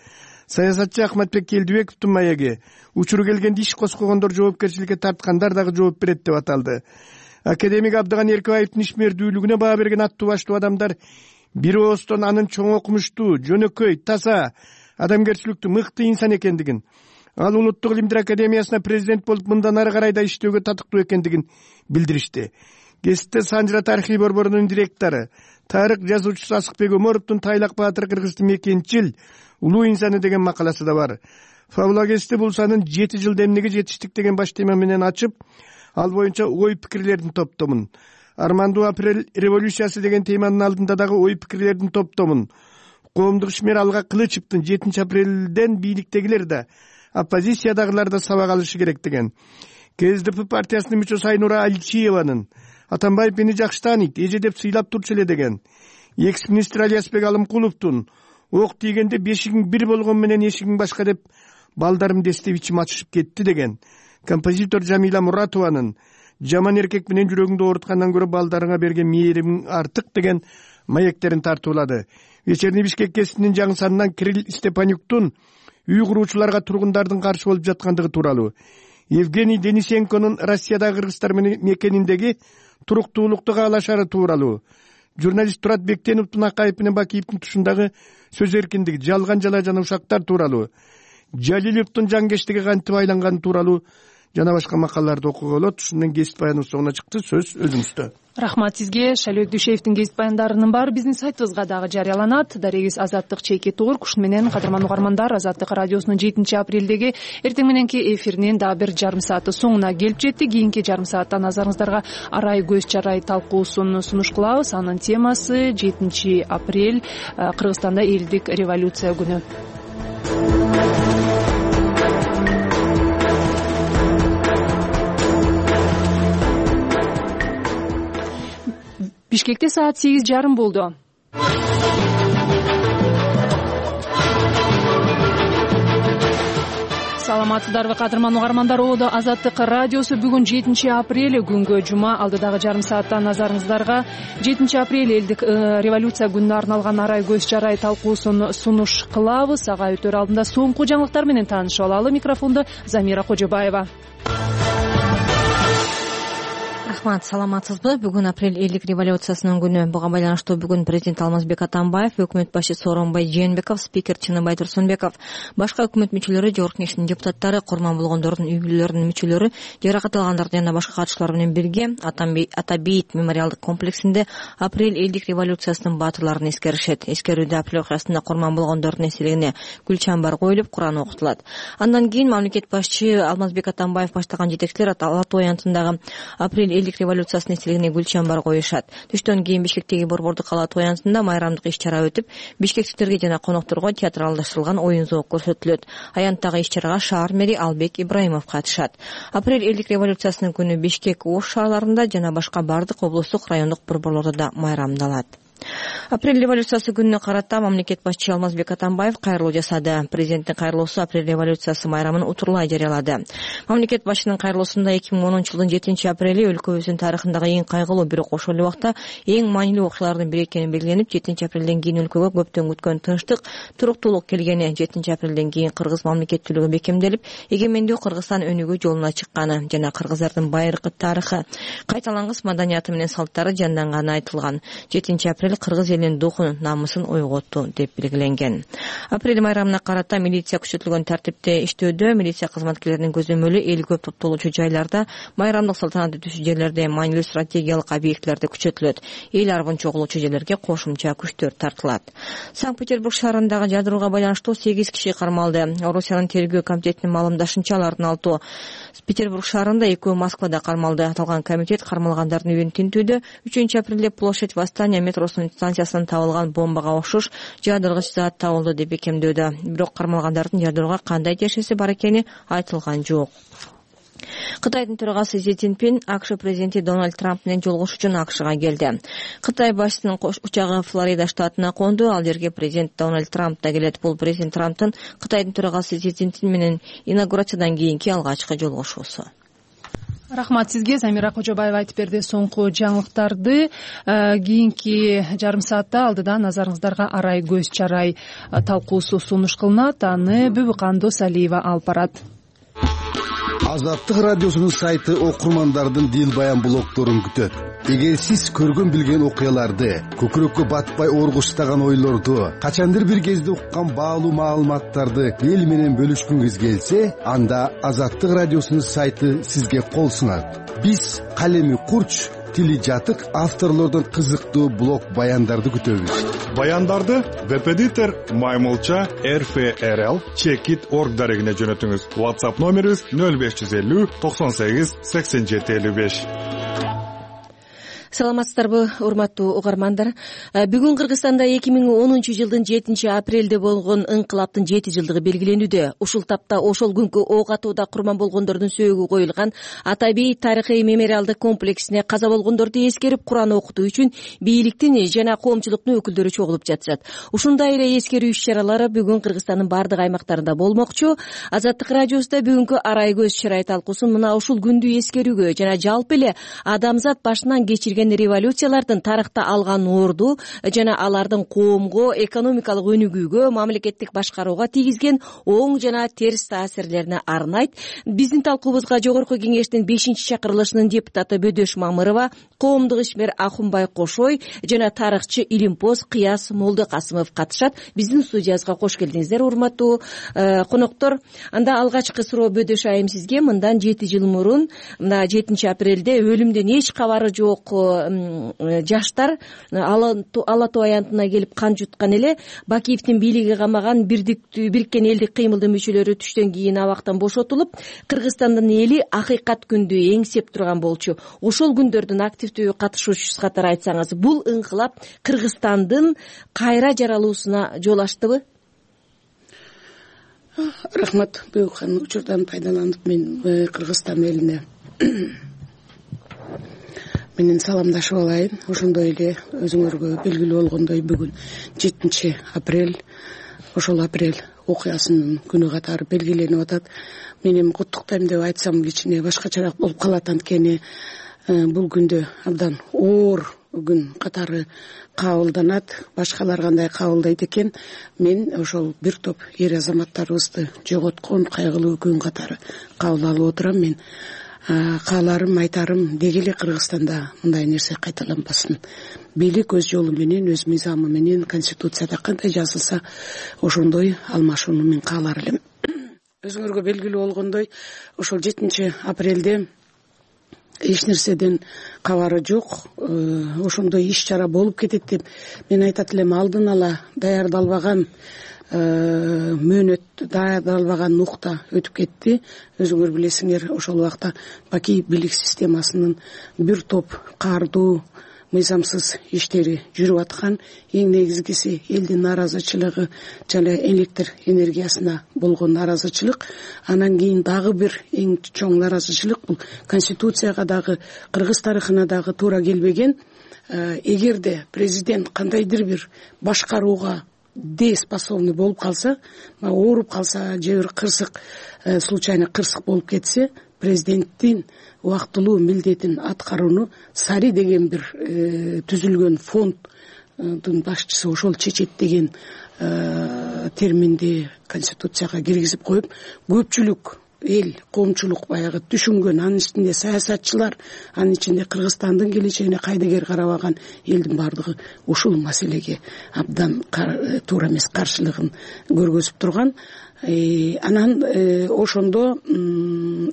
Саясатчы Ахматбек Келдибековдун маеги учуру келгенде иш коскогондор жоопкерчиликке тарткандар дагы жооп берет деп аталды. Академик Абдыган Эркебаевдин ишмердүүлүгүнө баа берген аттуу баштуу адамдар бир оостон анын чоң окумуштуу, жөнөкөй, таза, адамгерчиликтүү, мыкты инсан экендигин, ал Улуттук илимдер академиясына президент болуп мындан ары карай да иштөөгө татыктуу экендигин билдиришти. Гезитте Санжыра тарыхый борборунун директору, тарых жазуучусу Асыкбек Өмөровдун Тайлак баатыр Кыргыздын мекенчил, улуу инсаны деген макаласы да бар. Фабула гезити бул санын 7 жылда эмнеге жетиштик деген баш тема менен ачып, ал боюнча ой пикирлердин топтомун. Армандуу апрель революциясы деген теманын алдында дагы ой пикирлердин топтомун. Коомдук ишмер Алга Кылычевдин 7 апрелден бийликтегилер да, оппозициядагылар да сабак алышы керек деген. КСДП партиясынын мүчөсү Айнура Алчиеванын Атамбаев мени жакшы тааныйт, эже деп сыйлап турчу эле деген. Экс-министр Алиясбек Алымкуловдун ок тийгенде бешигиң бир болгон менен эшигиң башка деп балдарымды эстеп ичим ачышып кетти деген. Композитор Жамила Муратованын жаман эркек менен жүрөгүңдү ооруткандан көрө балдарыңа берген мээримиң артык деген маектерин тартуулады. Вечерний Бишкек гезитинин жаңы санынан Кирилл Степанюктун үй куруучуларга тургундардын каршы болуп жаткандыгы тууралуу, Евгений Денисенконун Россиядагы кыргыздар мекениндеги туруктуулукту каалашары тууралуу, журналист Турат Бектеновдун Акаев менен Бакиевдин тушундагы сөз эркиндиги, жалган жала жана ушактар тууралуу, Жалиловдун жаңкештиги кантип айланганы тууралуу жана башка макалаларды окууга болот. Ушун менен кесип баяныбыз соңуна чыкты. Сөз өзүңүздө. Рахмат сизге. Шайлоок Дүйшеевдин кесип баяндарынын баары биздин сайтыбызга дагы жарыяланат. Дарегиз Азаттык чейки турк. Ушун менен кадырман угармандар, Азаттык радиосунун 7-апрелдеги эртең мененки эфиринин дагы бир жарым сааты соңуна келип жетти. Кийинки жарым саатта назарыңыздарга арай көз чарай талкуусун сунуш кылабыз. Анын темасы 7-апрель Кыргызстанда элдик революция күнү. Бишкекте саат 8:30 болду. Саламатсыздарбы кадырман угармандар, Оодо Азаттык радиосу бүгүн 7-апрель күнгө жума. Алдыдагы жарым саатта назарыңыздарга 7-апрель элдик революция күнүнө арналган арай көз чарай талкуусун сунуш кылабыз. Ага өтөр алдында соңку жаңылыктар менен таанышып алалы. Микрофонду Замира Кожобаева. Рахмат, саламатсызбы? Бүгүн апрель элдик революциясынын күнү. Буга байланыштуу бүгүн президент Алмазбек Атамбаев, өкмөт башы Сооронбай Жээнбеков, спикер Чыныбай Турсунбеков, башка өкмөт мүчөлөрү, жогорку кеңештин депутаттары, курман болгондордун үй бүлөлөрүнүн мүчөлөрү, жаракат алгандарды жана башка катышуулар менен бирге Ата бейит мемориалдык комплексинде апрель элдик революциясынын баатырларын эскеришет. Эскерүүдө апрель окуясында курман болгондордун эсебине гүл чамбар коюлуп, Куран окутулат. Андан кийин мамлекет башчы Алмазбек Атамбаев баштаган жетекчилер Ала Тоо аянтындагы апрель элдик революциясынын эсебине гүл чамбар коюшат. Түштөн кийин Бишкектеги Борбордук Ала Тоо аянтында майрамдык иш-чара өтүп, бишкектиктерге жана конокторго театралдаштырылган оюн зоок көрсөтүлөт. Аянттагы иш-чарага шаар мэри Албек Ибраимов катышат. Апрель элдик революциясынын күнү Бишкек, Ош шаарларында жана башка бардык облустук райондук борборлордо да майрамдалат. Апрель революциясы күнүнө карата мамлекет башчы Алмазбек Атамбаев кайрылуу жасады. Президенттин кайрылуусу апрель революциясы майрамын утурлай жарыялады. Мамлекет башчынын кайрылуусунда 2010-жылдын 7-апрели өлкөбүздүн тарыхындагы эң кайгылуу, бирок ошол эле убакта эң маанилүү окуялардын бири экени белгиленип, 7-апрелден кийин өлкөгө көптөн күткөн тынчтык, туруктуулук келгени, 7-апрелден кийин кыргыз мамлекеттүүлүгү бекемделип, эгемендүү Кыргызстан өнүгүү жолуна чыкканы жана кыргыздардын байыркы тарыхы, кайталангыс маданияты менен салттары жанданганы айтылган. 7-апрель кыргыз элинин духун, намысын ойготту деп белгиленген. Апрель майрамына карата милиция күчөтүлгөн тартипте иштөөдө, милиция кызматкерлеринин көзөмөлү эл көп топтолуучу жайларда, майрамдык салтанат өтүүчү жерлерде, маанилүү стратегиялык объектилерде күчөтүлөт. Эл арбын чогулуучу жерлерге кошумча күчтөр тартылат. Санкт-Петербург шаарындагы жадырууга байланыштуу 8 киши кармалды. Орусиянын тергөө комитетинин маалымдашынча, алардын 6 Петербург шаарында, 2 Москвада кармалды. Аталган комитет кармалгандардын үйүн тинтүүдө 3-апрелде Площадь Восстания метросунун станциясынан табылган бомбага окшош жадыргыч зат табылды деп бекемдөөдө. Бирок кармалгандардын жадырууга кандай тиешеси бар экени айтылган жок. Кытайдын төрагасы Си Цзиньпин АКШ президенти Дональд Трамп менен жолугушуу үчүн АКШга келди. Кытай башчысынын учагы Флорида штатына конду. Ал жерге президент Дональд Трамп да келет. Бул президент Трамптын Кытайдын төрагасы Си Цзиньпин менен инаугурациядан кийинки алгачкы жолугушуусу. Рахмат сизге. Замира Кожобаева айтып берди соңку жаңылыктарды. Кийинки жарым саатта алдыда назарыңыздарга арай көз чарай талкуусу сунуш кылынат. Аны Бүбүкан Досалиева алып барат. Азаттык радиосунун сайты окурмандардын дил баян блогдорун күтөт. Эгер сиз көргөн билген окуяларды, көкүрөккө батпай оргуштаган ойлорду, качандыр бир кезде уккан баалуу маалыматтарды эл менен бөлүшкүңүз келсе, анда Азаттык радиосунун сайты сизге кол сунат. Биз калеми курч, тили жатык авторлордон кызыктуу блог баяндарды күтөбүз. Баяндарды Веб-эдитор Маймылча RFRL Checkit.org дарегине жөнөтүңүз. WhatsApp номерибиз 0550 98 87 55. Саламатсыздарбы, урматтуу угармандар. Бүгүн Кыргызстанда 2010-жылдын 7-апрелде болгон ыңкылаптын 7 жылдыгы белгиленүүдө. Ушул тапта ошол күнкү ок атууда курман болгондордун сөөгү коюлган Ата бейит тарыхый мемориалдык комплексине каза болгондорду эскерип Куран окутуу үчүн бийликтин жана коомчулуктун өкүлдөрү чогулуп жатышат. Ушундай эле эскерүү иш-чаралары бүгүн Кыргызстандын бардык аймактарында болмокчу. Азаттык радиосунда бүгүнкү арай көз чарай талкуусун мына ушул күндү эскерүүгө жана жалпы эле адамзат башынан кечирген келген революциялардын тарыхта алган орду жана алардын коомго экономикалык өнүгүүгө, мамлекеттик башкарууга тийгизген оң жана терс таасирлерине арнайт. Биздин талкуубузга Жогорку Кеңештин 5-чакырылышынын депутаты Бөдөш Мамырова, коомдук ишмер Ахунбай Кошой жана тарыхчы Илимпоз Кыяс Молдокасымов катышат. Биздин студиябызга кош келдиңиздер, урматтуу коноктор. Анда алгачкы суроо Бөдөш айым сизге. Мындан 7 жыл мурун, мына 7 апрелде өлүмдөн эч кабары жок жаштар Ала Тоо аянтына келип кан жуткан эле. Бакиевдин бийлиги камаган Бириккен Элдик кыймылдын мүчөлөрү түштөн кийин абактан бошотулуп, Кыргызстандын эли акыйкат күндү эңсеп турган болчу. Ошол күндөрдүн активдүү катышуучусу катары айтсаңыз, бул ыңкылап Кыргызстандын кайра жаралуусуна жол ачтыбы? Рахмат. Буюкан учурдан пайдаланып мен Кыргызстан элине менен саламдашып алайын. Ошондой эле өзүңөргө белгилүү болгондой бүгүн 7 апрель, ошол апрель окуясынын күнү катары белгиленип атат. Мен эми куттуктайм деп айтсам кичине башкачараак болуп калат, анткени бул күндө абдан оор күн катары кабылданат. Башкалар кандай кабылдайт экен, мен ошол бир топ эр азаматтарыбызды жоготкон кайгылуу күн катары кабыл алып отурам. Мен кааларым, айтарым, деги эле Кыргызстанда мындай нерсе кайталанбасын. Бийлик өз жолу менен, өз мыйзамы менен, конституцияда кандай жазылса ошондой алмашууну мен каалар элем. Өзүңөргө белгилүү болгондой, ошол 7 апрелде эч нерседен кабары жок, ошондой иш чара болуп кетет деп мен айтат элем. Алдын ала даярдалбаган мөөнөт, даярдалбаган нукта өтүп кетти. Өзүңөр билесиңер, ошол убакта Бакиев бийлик системасынын бир топ каардуу, мыйзамсыз иштери жүрүп аткан. Эң негизгиси элдин нааразычылыгы жана электр энергиясына болгон нааразычылык. Анан кийин дагы бир эң чоң нааразычылык бул конституцияга дагы, Кыргыз тарыхына дагы туура келбеген. Эгерде президент кандайдыр бир башкарууга дееспособный болуп калса, ооруп калса же бир кырсык, случайно кырсык болуп кетсе, президенттин убактылуу милдетин аткарууну Сари деген бир түзүлгөн фонддун башчысы ошол чечет деген терминди конституцияга киргизип коюп, көпчүлүк эл, коомчулук баягы түшүнгөн, анын ичинде саясатчылар, анын ичинде Кыргызстандын келечегине кайдыгер карабаган элдин бардыгы ушул маселеге абдан туура эмес каршылыгын көргөзүп турган. Анан ошондо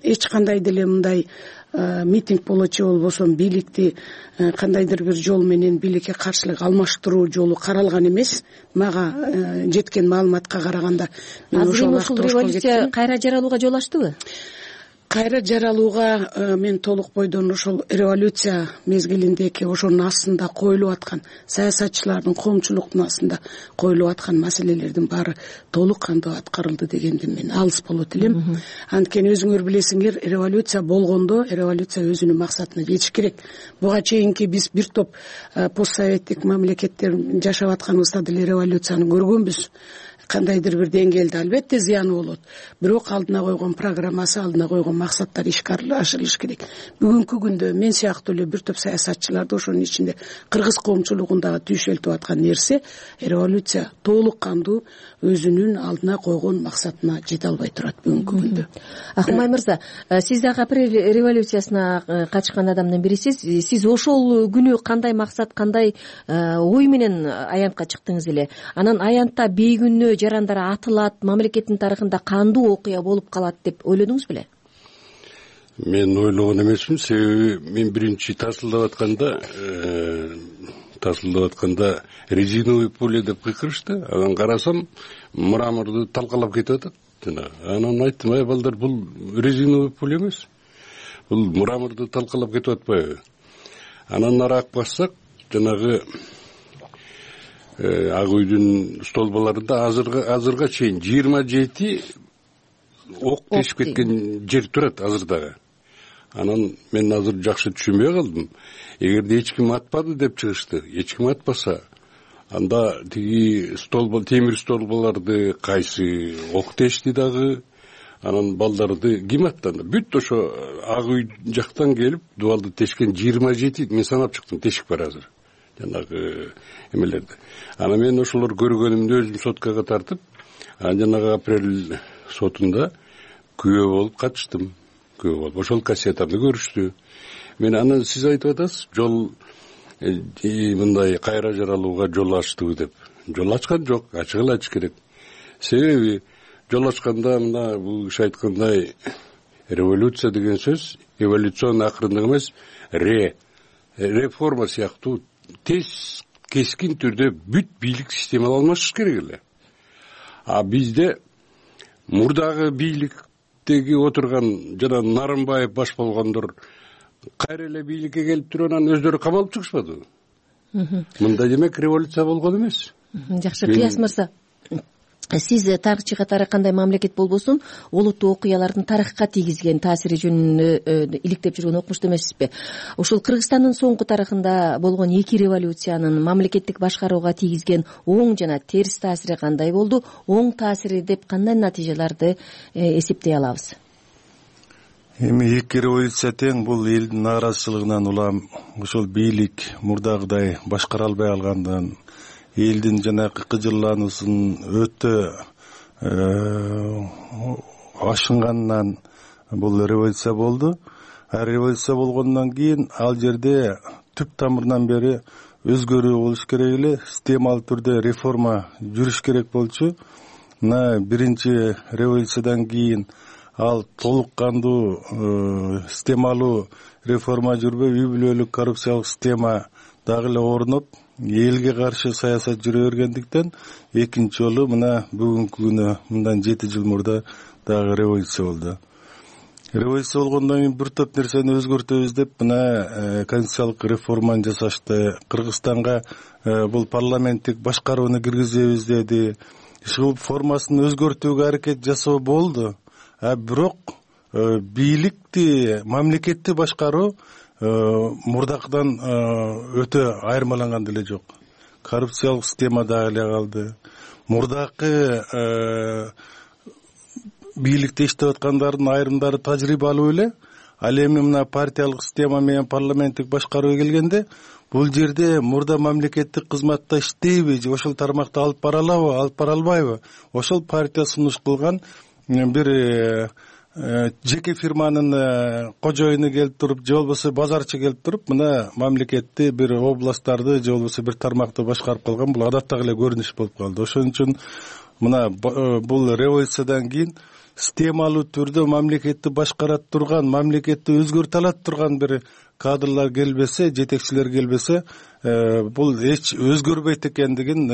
эч кандай деле мындай митинг болочу болбосо бийликти кандайдыр бир жол менен бийликке каршылык алмаштыруу жолу каралган эмес. Мага жеткен маалыматка караганда мен ошол революция кайра жаралууга жол ачтыбы? Кайра жаралууга мен толук бойдон ошол революция мезгилиндеги ошонун астында коюлуп аткан саясатчылардын, коомчулуктун астында коюлуп аткан маселелердин баары толук кандуу аткарылды дегенден мен алыс болот элем. Анткени өзүңөр билесиңер, революция болгондо революция өзүнүн максатына жетиш керек. Буга чейинки биз бир топ постсоветтик мамлекеттер жашап атканыбызда деле революцияны көргөнбүз. Кандайдыр бир деңгээлде албетте зыяны болот, бирок алдына койгон программасы, алдына койгон максаттар ишке ашырылыш керек. Бүгүнкү күндө мен сыяктуу эле бир топ саясатчыларды, ошонун ичинде кыргыз коомчулугундагы түйшөлтүп аткан нерсе, революция толук кандуу өзүнүн алдына койгон максатына жете албай турат бүгүнкү күндө. Ахмай мырза, сиз дагы апрель революциясына катышкан адамдын бирисиз. Сиз ошол күнү кандай максат, кандай ой менен аянтка чыктыңыз эле? Анан аянтта бейкүнөө жарандар атылат, мамлекеттин тарыхында кандуу окуя болуп калат деп ойлодуңуз беле? Мен ойлогон эмесмин, себеби мен биринчи тасылдап атканда резиновый пуля деп кыйкырышты. Анан карасам, мраморду талкалап кетип атат. Анан айттым, ай балдар, бул резиновый пуля эмес. Бул мраморду талкалап кетип атпайбы? Анан нараак бассак, жанагы ак үйдүн столбаларында азырга чейин 27 ок тешип кеткен жер турат азыр. Анан мен азыр жакшы түшүнбөй калдым. Эгерде эч ким атпады деп чыгышты, эч ким атпаса, анда тиги темир столбаларды кайсы ок тешти дагы, анан балдарды ким аттанды? Бүт ошо ак үй жактан келип дубалды тешкен 27, мен санап чыктым, тешик бар азыр. Жанагы эмелерди. Анан мен ошолор көргөнүмдү өзүм соткага тартып, жанагы апрель сотунда күбө болуп катыштым. Күбө болуп ошол кассетамды көрүштү. Мен анан сиз айтып атасыз, жол мындай кайра жаралууга жол ачтыбы деп. Жол ачкан жок, ачыгыла ачыш керек. Себеби жол ачканда мына бул киши айткандай революция деген сөз эволюционный акырындык эмес, реформа сыяктуу тез кескин түрдө бүт бийлик системалар алмашыш керек эле. А бизде мурдагы бийликтеги отурган жана Нарымбаев баш болгондор кайра эле бийликке келип туруп анан өздөрү камалып чыгышпадыбы? Мындай демек революция болгон эмес. Жакшы, Кыяс мырза, сиз тарыхчы катары кандай мамлекет болбосун олуттуу окуялардын тарыхка тийгизген таасири жөнүндө иликтеп жүргөн окумуштуу эмессизби? Ушул Кыргызстандын соңку тарыхында болгон эки революциянын мамлекеттик башкарууга тийгизген оң жана терс таасири кандай болду? Оң таасири деп кандай натыйжаларды эсептей алабыз? Эми эки революция тең, бул элдин нааразычылыгынан улам ошол бийлик мурдагыдай башкара албай калгандан, элдин жанагы кыжырлануусун өтө ашынганынан бул революция болду. Революция болгондон кийин ал жерде түп тамырынан бери өзгөрүү болуш керек эле, системалуу түрдө реформа жүрүш керек болчу. Мына биринчи революциядан кийин ал толук кандуу системалуу реформа жүрбөй, үй бүлөлүк коррупциялык система дагы эле орноп, элге каршы саясат жүрө бергендиктен экинчи жолу мына бүгүнкү күнү мындан 7 жыл мурда дагы революция болду. Революция болгондон кийин бир топ нерсени өзгөртөбүз деп мына конституциялык реформаны жасашты. Кыргызстанга бул парламенттик башкарууну киргизебиз деди. Ушул формасын өзгөртүүгө аракет жасоо болду. Бирок бийликти, мамлекетти башкаруу мурдакыдан өтө айырмаланган деле жок. Коррупциялык система дагы эле калды. Мурдакы бийликте иштеп аткандардын айрымдары тажрыйбалуу эле. Ал эми мына партиялык система менен парламенттик башкарууга келгенде бул жерде мурда мамлекеттик кызматта иштейби, же ошол тармакта алып бара алабы, алып бара албайбы? Ошол партия сунуш кылган бир жеке фирманын кожоюну келип туруп, же болбосо базарчы келип туруп, мына мамлекетти бир областтарды же болбосо бир тармакты башкарып калган, бул адаттагы эле көрүнүш болуп калды. Ошон үчүн мына бул революциядан кийин системалуу түрдө мамлекетти башкара турган, мамлекетти өзгөртө алат турган бир кадрлар келбесе, жетекчилер келбесе, бул эч өзгөрбөйт экендигин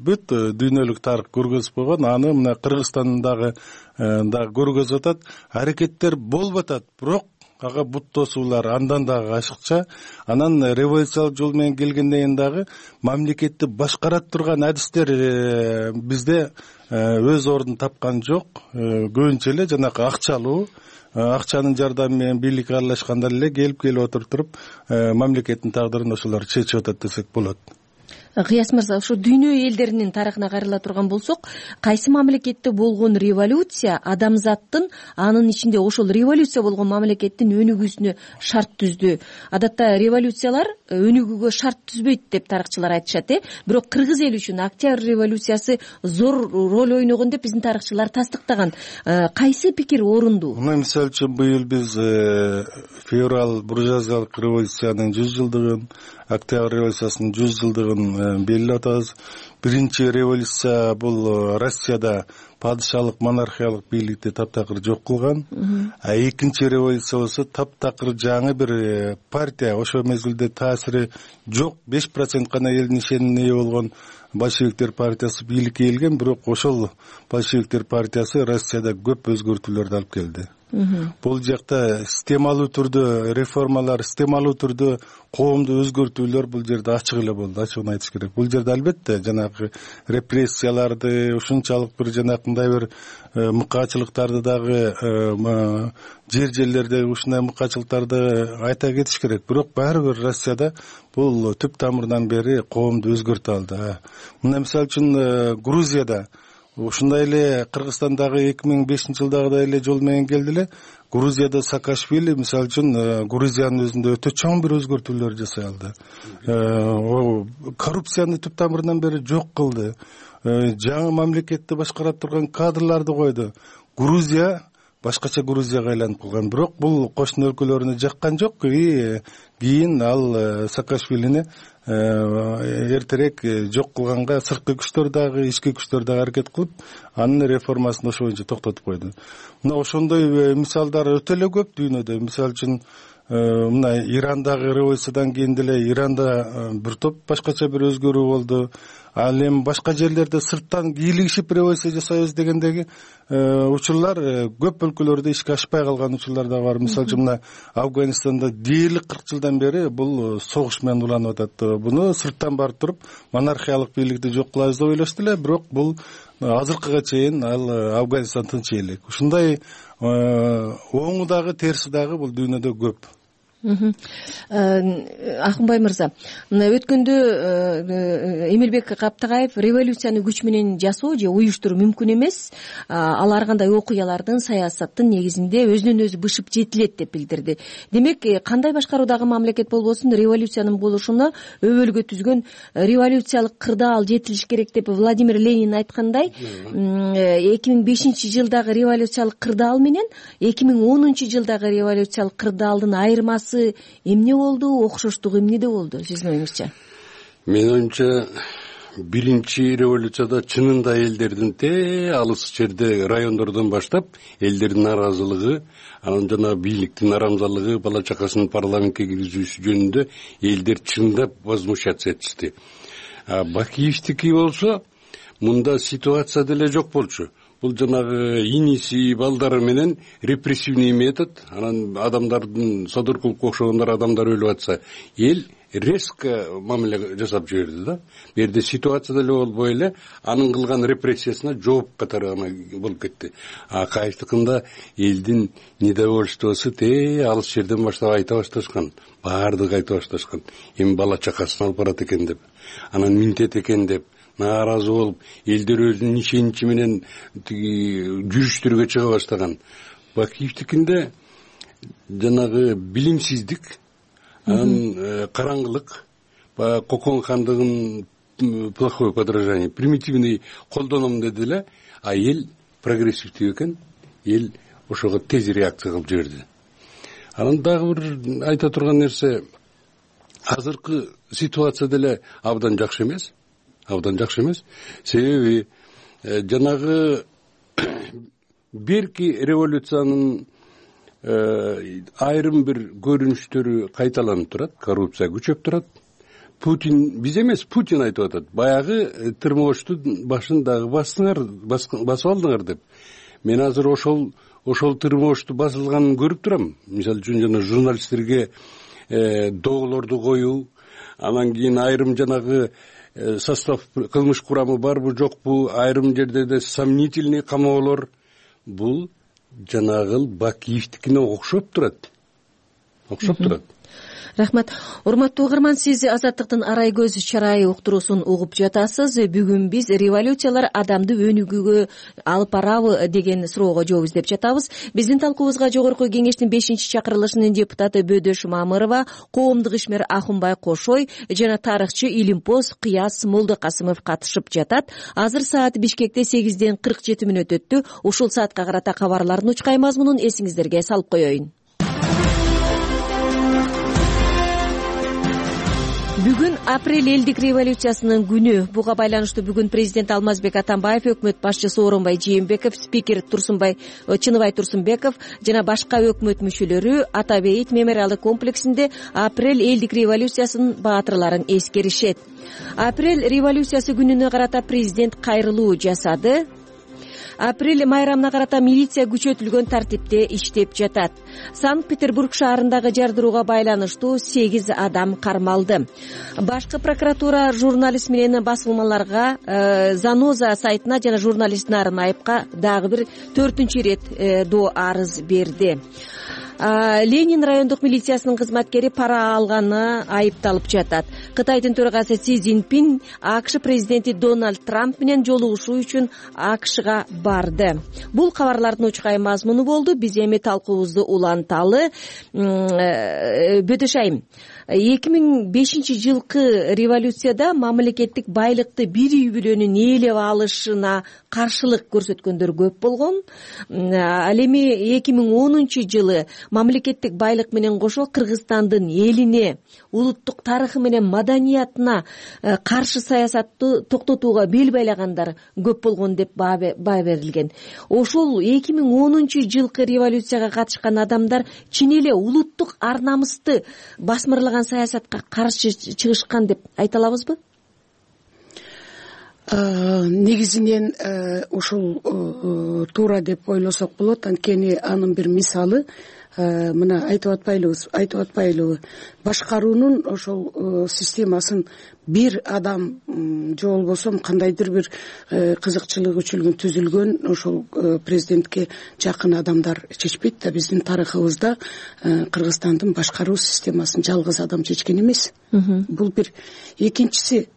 бүт дүйнөлүк тарых көргөзүп койгон. Аны мына Кыргызстандагы дагы көргөзүп атат. Аракеттер болуп атат, бирок ага бут тосуулар андан дагы ашыкча. Анан революциялык жол менен келгенден кийин дагы мамлекетти башкара турган адистер бизде өз ордун тапкан жок. Көбүнчө эле жанагы акчалуу, акчанын жардамы менен бийликке аралашкандар эле келип отуруп мамлекеттин тагдырын ошолор чечип атат десек болот. Кыяс мырза, ошо дүйнө элдеринин тарыхына кайрыла турган болсок, кайсы мамлекетте болгон революция адамзаттын, анын ичинде ошол революция болгон мамлекеттин өнүгүүсүнө шарт түздү? Адатта революциялар өнүгүүгө шарт түзбөйт деп тарыхчылар айтышат, бирок кыргыз эли үчүн Октябрь революциясы зор роль ойногон деп биздин тарыхчылар тастыктаган. Кайсы пикир орундуу? Мына мисалы үчүн быйыл биз февраль буржуазиялык революциянын 100 жылдыгын, Октябрь революциясынын 100 жылдыгын белгилеп атабыз. Биринчи революция бул Россияда падышалык монархиялык бийликти таптакыр жок кылган. Экинчи революция болсо таптакыр жаңы бир партия, ошол мезгилде таасири жок, 5% гана элдин ишенимине ээ болгон большевиктер партиясы бийликке келген, бирок ошол большевиктер партиясы Россияда көп өзгөртүүлөрдү алып келди. Бул жакта системалуу түрдө реформалар, системалуу түрдө коомду өзгөртүүлөр бул жерде ачык эле болду, ачыгын айтыш керек. Бул жерде албетте жанагы репрессияларды, ушунчалык бир жанакындай бир мыкаачылыктарды дагы жерлерде ушундай мыкаачылыктарды айта кетиш керек. Бирок баары бир Россияда бул түп тамырынан бери коомду өзгөртө алды. Мына мисалы үчүн Грузияда ушундай эле Кыргызстандагы 2005-жылдагыдай эле жол менен келди эле. Грузияда Саакашвили мисалы үчүн Грузиянын өзүндө өтө чоң бир өзгөртүүлөр жасай алды. Коррупцияны түп тамырынан бери жок кылды. Жаңы мамлекетти башкара турган кадрларды койду. Грузия башкача Грузияга айланып калган. Бирок бул кошуна өлкөлөрүнө жаккан жок. Кийин ал Саакашвилини эртерээк жок кылганга сырткы күчтөр дагы, ички күчтөр дагы аракет кылып, анын реформасын ошо боюнча токтотуп койду. Мына ошондой мисалдар өтө эле көп дүйнөдө. Мисалы үчүн мына Ирандагы революциядан кийин деле Иранда бир топ башкача бир өзгөрүү болду. Ал эми башка жерлерде сырттан кийлигишип революция жасайбыз дегендеги учурлар көп өлкөлөрдө ишке ашпай калган учурлар да бар. Мисалы үчүн мына Афганистанда дээрлик 40 жылдан бери бул согуш менен уланып атат. Буну сырттан барып туруп монархиялык бийликти жок кылабыз деп ойлошду эле, бирок бул азыркыга чейин ал Афганистан тынч элек. Ушундай оңу дагы терси дагы бул дүйнөдө көп. Акынбай мырза, мына өткөндө Эмилбек Каптагаев революцияны күч менен жасоо же уюштуруу мүмкүн эмес, ал ар кандай окуялардын, саясаттын негизинде өзүнөн өзү бышып жетилет деп билдирди. Демек, кандай башкаруудагы мамлекет болбосун революциянын болушуна өбөлгө түзгөн революциялык кырдаал жетилиш керек деп Владимир Ленин айткандай, 2005-жылдагы революциялык кырдаал менен 2010-жылдагы революциялык кырдаалдын айырмасы эмне болду, окшоштугу эмнеде болду сиздин оюңузча? Менин оюмча, биринчи революцияда чынында элдердин алыс жерде райондордон баштап элдердин нааразылыгы, анан жана бийликтин арамзалыгы, бала чакасын парламентке киргизүүсү жөнүндө элдер чындап возмущаться этишти. Бакиевдики болсо, мында ситуация деле жок болчу. Бул жанагы иниси, балдары менен репрессивный метод, анан адамдардын содур кылып окшогондор адамдар өлүп атса, эл резко мамиле жасап жиберди да. Бу жерде ситуация деле болбой эле, анын кылган репрессиясына жооп катары болуп кетти. Кайфтыкында элдин недовольствосу алыс жерден баштап айта башташкан, баардыгы айта башташкан. Эми бала чакасын алып барат экен деп, анан минтет экен деп нааразы болуп, элдер өзүнүн ишеничи менен жүрүштөргө чыга баштаган. Бакиевдикинде жанагы билимсиздик, анан караңгылык, Кокон хандыгын плохое подражание, примитивный колдоном деди эле, а эл прогрессивдүү экен, эл ошого тез реакция кылып жиберди. Анан дагы бир айта турган нерсе, азыркы ситуация деле абдан жакшы эмес. Себеби жанагы берки революциянын айрым бир көрүнүштөрү кайталанып турат, коррупция күчөп турат. Путин, биз эмес, Путин айтып атат, баягы тырмооштун башын дагы басып алдыңар деп. Мен азыр ошол тырмоошту басылганын көрүп турам. Мисалы үчүн жана журналисттерге доголорду коюу, анан кийин айрым жанагы состав кылмыш курамы барбы жокпу, айрым жерде сомнительный камоолор, бул жанагы Бакиевдикине окшоп турат. Рахмат. Урматтуу угарман, сиз Азаттыктын арай көз чарайы уктуруусун угуп жатасыз. Бүгүн биз революциялар адамды өнүгүүгө алып барабы деген суроого жооп издеп жатабыз. Биздин талкуубузга Жогорку Кеңештин 5-чакырылышынын депутаты Бөдөш Мамырова, коомдук ишмер Акынбай Кошой жана тарыхчы Илимпоз Кыяс Молдокасымов катышып жатат. Азыр саат Бишкекте 8:47 өттү. Ушул саатка карата кабарлардын учкай мазмунун эсиңиздерге салып коеюн. Бүгүн апрель элдик революциясынын күнү. Буга байланыштуу бүгүн президент Алмазбек Атамбаев, өкмөт башчысы Оронбай Жээнбеков, спикер Чыныбай Турсунбеков жана башка өкмөт мүчөлөрү Ата Бейит мемориалдык комплексинде апрель элдик революциясынын баатырларын эскеришет. Апрель революциясы күнүнө карата президент кайрылуу жасады. Апрель майрамына карата милиция күчөтүлгөн тартипте иштеп жатат. Санкт-Петербург шаарындагы жардырууга байланыштуу 8 адам кармалды. Башкы прокуратура журналист менен басылмаларга, Заноза сайтына жана журналист Нарын Айыпка дагы бир 4-рет доо арыз берди. Ленин райондук милициясынын кызматкери пара алганы айыпталып жатат. Кытайдын төрагасы Си Цзиньпин АКШ президенти Дональд Трамп менен жолугушуу үчүн АКШга барды. Бул кабарлардын учкай мазмуну болду. Биз эми талкуубузду уланталы. Бөдөшайым, 2005-жылкы революцияда мамлекеттик байлыкты бир үй бүлөнүн ээлеп алышына каршылык көрсөткөндөр көп болгон. Ал эми 2010-жылы мамлекеттик байлык менен кошо Кыргызстандын элине, улуттук тарыхы менен маданиятына каршы саясатты токтотууга бел байлагандар көп болгон деп баа берилген. Ошол 2010-жылкы революцияга катышкан адамдар чын эле улуттук ар намысты басмырлаган саясатка каршы чыгышкан деп айта алабызбы? Негизинен ушул туура деп ойлосок болот. Анткени анын бир мисалы мына айтып атпайлыбы, башкаруунун ошол системасын бир адам же болбосо кандайдыр бир кызыкчылык үчүн түзүлгөн ошол президентке жакын адамдар чечпейт да. Биздин тарыхыбызда Кыргызстандын башкаруу системасын жалгыз адам чечкен эмес. Бул бир. Экинчиси,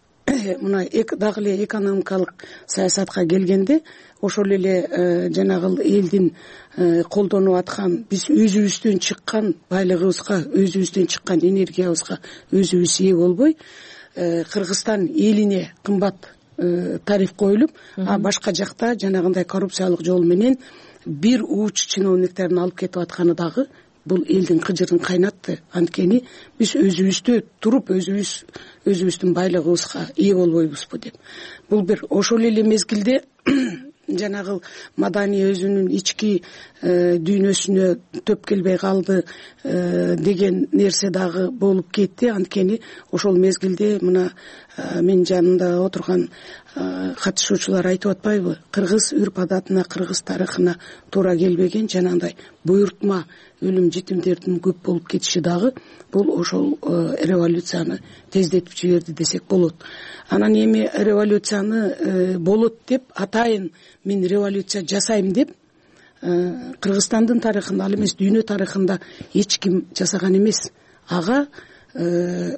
мына дагы эле экономикалык саясатка келгенде, ошол эле жанагы элдин колдонуп аткан, биз өзүбүздөн чыккан байлыгыбызга, өзүбүздөн чыккан энергиябызга өзүбүз ээ болбой, Кыргызстан элине кымбат тариф коюлуп, а башка жакта жанагындай коррупциялык жол менен бир уч чиновниктерин алып кетип атканы дагы бул элдин кыжырын кайнатты. Анткени биз өзүбүздө туруп, өзүбүздүн байлыгыбызга ээ болбойбузбу деп. Бул бир. Ошол эле мезгилде жанагы мадани өзүнүн ички дүйнөсүнө төп келбей калды деген нерсе дагы болуп кетти. Анткени ошол мезгилде мына менин жанымда отурган катышуучулар айтып атпайбы? Кыргыз үрп адатына, кыргыз тарыхына туура келбеген жанагындай буйртма өлүм жетимдердин көп болуп кетиши дагы бул ошол революцияны тездетип жиберди десек болот. Анан эми революцияны болот деп атайын мен революция жасайм деп Кыргызстандын тарыхында, ал эмес дүйнө тарыхында эч ким жасаган эмес. Ага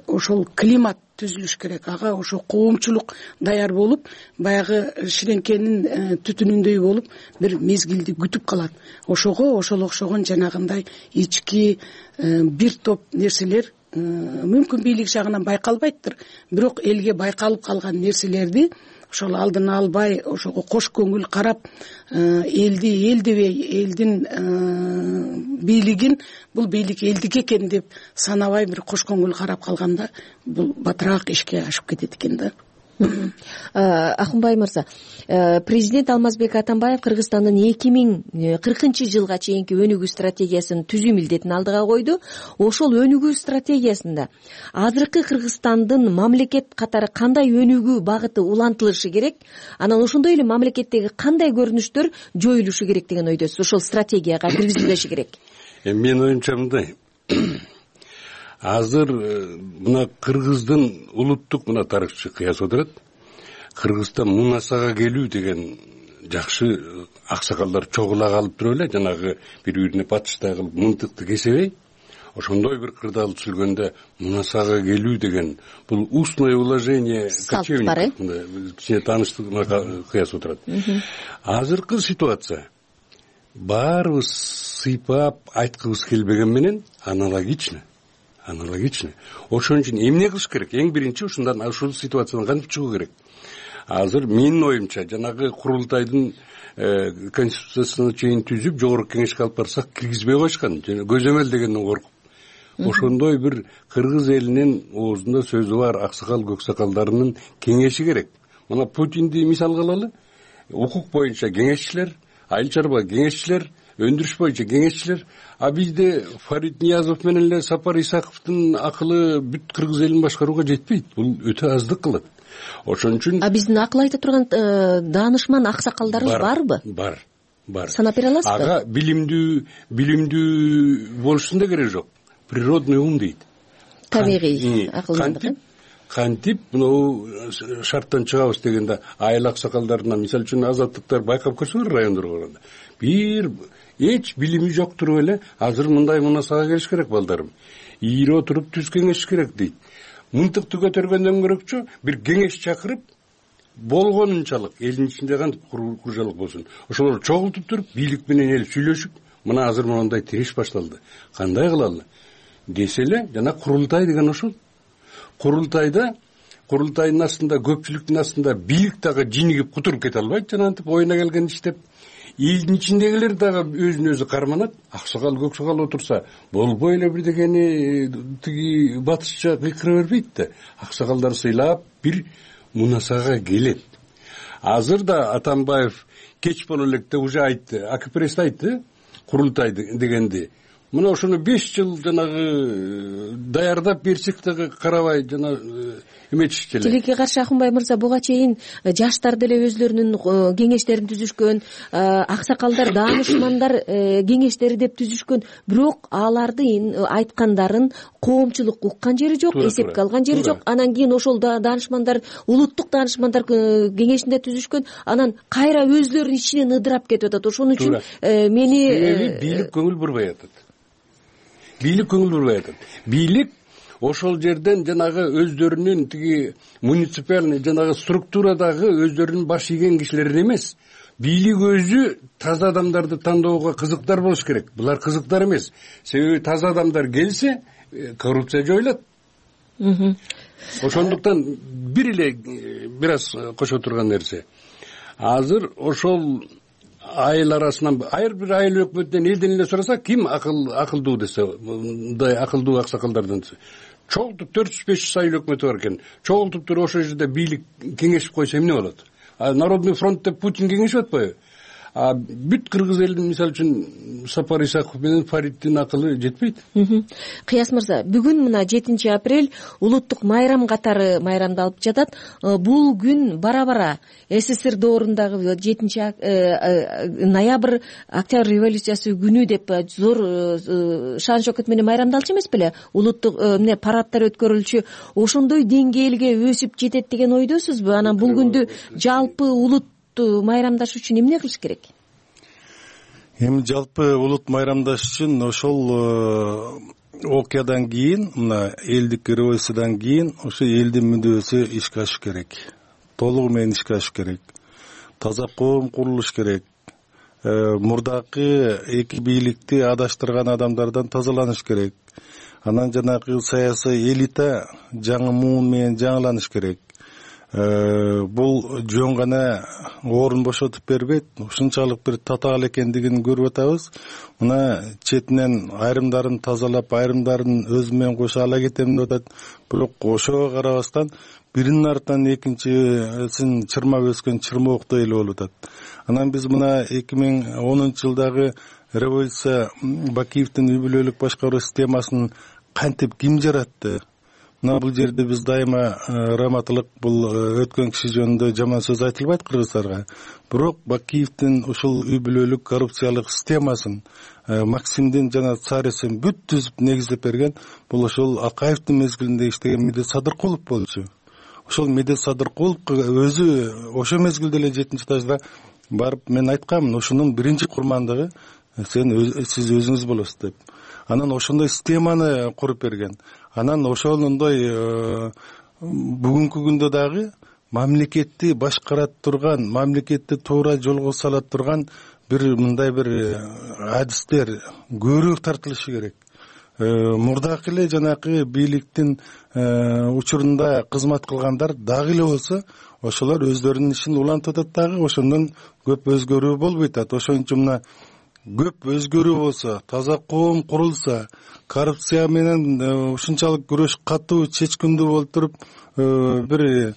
ошол климат түзүлүш керек. Ага ошо коомчулук даяр болуп, баягы ширеңкенин түтүнүндөй болуп бир мезгилди күтүп калат. Ошого ошол окшогон жанагындай ички бир топ нерселер мүмкүн бийлик жагынан байкалбайттыр, бирок элге байкалып калган нерселерди ошол алдын албай, ошого кош көңүл карап, элдебей, элдин бийлигин бул бийлик элдики экен деп санабай бир кош көңүл карап калганда бул батыраак ишке ашып кетет экен да. Акынбай мырза, президент Алмазбек Атамбаев Кыргызстандын 2040-жылга чейинки өнүгүү стратегиясын түзүү милдетин алдыга койду. Ошол өнүгүү стратегиясында азыркы Кыргызстандын мамлекет катары кандай өнүгүү багыты улантылышы керек? Анан ошондой эле мамлекеттеги кандай көрүнүштөр жоюлушу керек деген ойдосуз? Ошол стратегияга киргизилиши керек. Менин оюмча мындай. Азыр мына Кыргыздын улуттук мына тарыхчы кыяс отурат. Кыргызстан мунасага келүү деген жакшы аксакалдар чогула калып туруп эле, жанагы бири-бирине батыштай кылып мынтыкты кесебей, ошондой бир кырдаал түзүлгөндө мунасага келүү деген бул устное уложение кочевников кичине тааныштык кыяс отурат. Азыркы ситуация баарыбыз сыйпап айткыбыз келбеген менен аналогично. Ошон үчүн эмне кылыш керек? Эң биринчи ушул ситуациядан кантип чыгуу керек? Азыр менин оюмча жанагы курултайдын конституциясына чейин түзүп жогорку кеңешке алып барсак киргизбей коюшкан, көзөмөл дегенден коркуп. Ошондой бир кыргыз элинин оозунда сөзү бар аксакал көксакалдарынын кеңеши керек. Мына Путинди мисалга алалы. Укук боюнча кеңешчилер, айыл чарба кеңешчилер, өндүрүш боюнча кеңешчилер. А бизде Фарид Ниязов менен эле Сапар Исаковдун акылы бүт кыргыз элин башкарууга жетпейт. Бул өтө аздык кылат. Ошон үчүн биздин акыл айта турган даанышман аксакалдарыбыз барбы? Бар. Санап бере аласызбы? Ага билимдүү болушунун да кереги жок. Природный ум дейт. Табигый акылдык. Кантип мынау шарттан чыгабыз дегенде айыл аксакалдарына, мисалы үчүн азаттыктар байкап көрсөңөр райондорго барганда бир эч билими жок туруп эле азыр мындай мунасага келиш керек балдарым, ийире отуруп түз кеңеш керек дейт. Мынтыкты көтөргөндөн көрөкчү бир кеңеш чакырып болгонунчалык элдин ичинде кантип куржалык болсун, ошолорду чогултуп туруп бийлик менен эл сүйлөшүп, мына азыр мондай тириш башталды, кандай кылалы десе эле, жана курултай деген ошол. Курултайдын астында, көпчүлүктүн астында бийлик дагы жинигип кутуруп кете албайт, жанагынтип оюна келген иштеп. Элдин ичиндегилер дагы өзүн өзү карманат. Аксакал, көксакал отурса, болбой эле бирдегени тиги батышча кыйкыра бербейт да. Аксакалдар сыйлап бир мунасага келет. Азыр да Атамбаев кеч боло электе уже айтты, АКПРС айтты, курултай дегенди. Мына ошону 5 жыл жанагы даярдап берсек дагы карабай жана эметишчү эле. Тилекке каршы Акунбай мырза, буга чейин жаштар деле өзлөрүнүн кеңештерин түзүшкөн, аксакалдар, даанышмандар кеңештери деп түзүшкөн, бирок аларды айткандарын коомчулук уккан жери жок, эсепке алган жери жок. Анан кийин ошол даанышмандар улуттук даанышмандар кеңешинде түзүшкөн, анан кайра өзлөрүнүн ичинен ыдырап кетип атат. Ошон үчүн мени бийлик көңүл бурбай атат. Бийлик ошол жерден жанагы өздөрүнүн тиги муниципальный жанагы структурадагы өздөрүнүн баш ийген кишилерин эмес, бийлик өзү таза адамдарды тандоого кызыктар болуш керек. Булар кызыктар эмес. Себеби таза адамдар келсе, коррупция жоюлат. Ошондуктан бир эле аз кошо турган нерсе. Азыр ошол айыл арасынан ар бир айыл өкмөтүнөн элден эле сураса, ким акылдуу десе, мындай акылдуу аксакалдардан чогултуп 400-500 айыл өкмөтү бар экен. Чогултуп туруп ошол жерде бийлик кеңешип койсо эмне болот? Народный фронт деп Путин кеңешип атпайбы? Бүт кыргыз элинин мисалы үчүн Сапар Исаков менен Фариттин акылы жетпейт. Кыяс мырза, бүгүн мына 7 апрель улуттук майрам катары майрамдалып жатат. Бул күн бара-бара СССР доорундагы 7 ноябрь Октябрь революциясы күнү деп зор шан шокот менен майрамдалчу эмес беле? Улуттук парадтар өткөрүлчү, ошондой деңгээлге өсүп жетет деген ойдосузбу? Анан бул күндү жалпы улут майрамдаш үчүн эмне кылыш керек? Эми жалпы улут майрамдаш үчүн ошол окуядан кийин, мына элдик революциядан кийин ошо элдин мүдөөсү ишке ашыш керек. Толугу менен ишке ашыш керек. Таза коом курулуш керек. Мурдакы эки бийликти адаштырган адамдардан тазаланыш керек. Анан жанагы саясий элита жаңы муун менен жаңыланыш керек. Бул жөн гана орун бошотуп бербейт, ушунчалык бир татаал экендигин көрүп атабыз. Мына четинен айрымдарын тазалап, айрымдарын өзү менен кошо ала кетем деп атат. Бирок ошого карабастан биринин артынан экинчисин чырмап өскөн чырмооктой эле болуп атат. Анан биз мына 2010 жылдагы революция Бакиевдин үй бүлөлүк башкаруу системасын кантип ким жаратты? Мына бул жерде биз дайыма раматылык, бул өткөн киши жөнүндө жаман сөз айтылбайт кыргыздарга. Бирок Бакиевдин ушул үй бүлөлүк коррупциялык системасын Максимдин жана Царевдин бүт түзүп негиздеп берген бул ошол Акаевдин мезгилинде иштеген Медет Садыркулов болчу. Ошол Медет Садыркуловго өзү ошо мезгилде эле 7-этажда барып мен айткамын, ошонун биринчи курмандыгы сиз өзүңүз болосуз деп. Анан ошондой системаны куруп берген. Анан ошондой бүгүнкү күндө дагы мамлекетти башкарат турган, мамлекетти туура жолго сала турган бир мындай бир адистер көбүрөөк тартылышы керек. Мурдакы эле жанакы бийликтин учурунда кызмат кылгандар дагы эле болсо, ошолор өздөрүнүн ишин улантып атат дагы, ошондон көп өзгөрүү болбойт атат. Ошон үчүн мына көп өзгөрүү болсо, таза коом курулса, коррупция менен ушунчалык күрөш катуу, чечкиндүү болуп туруп, бир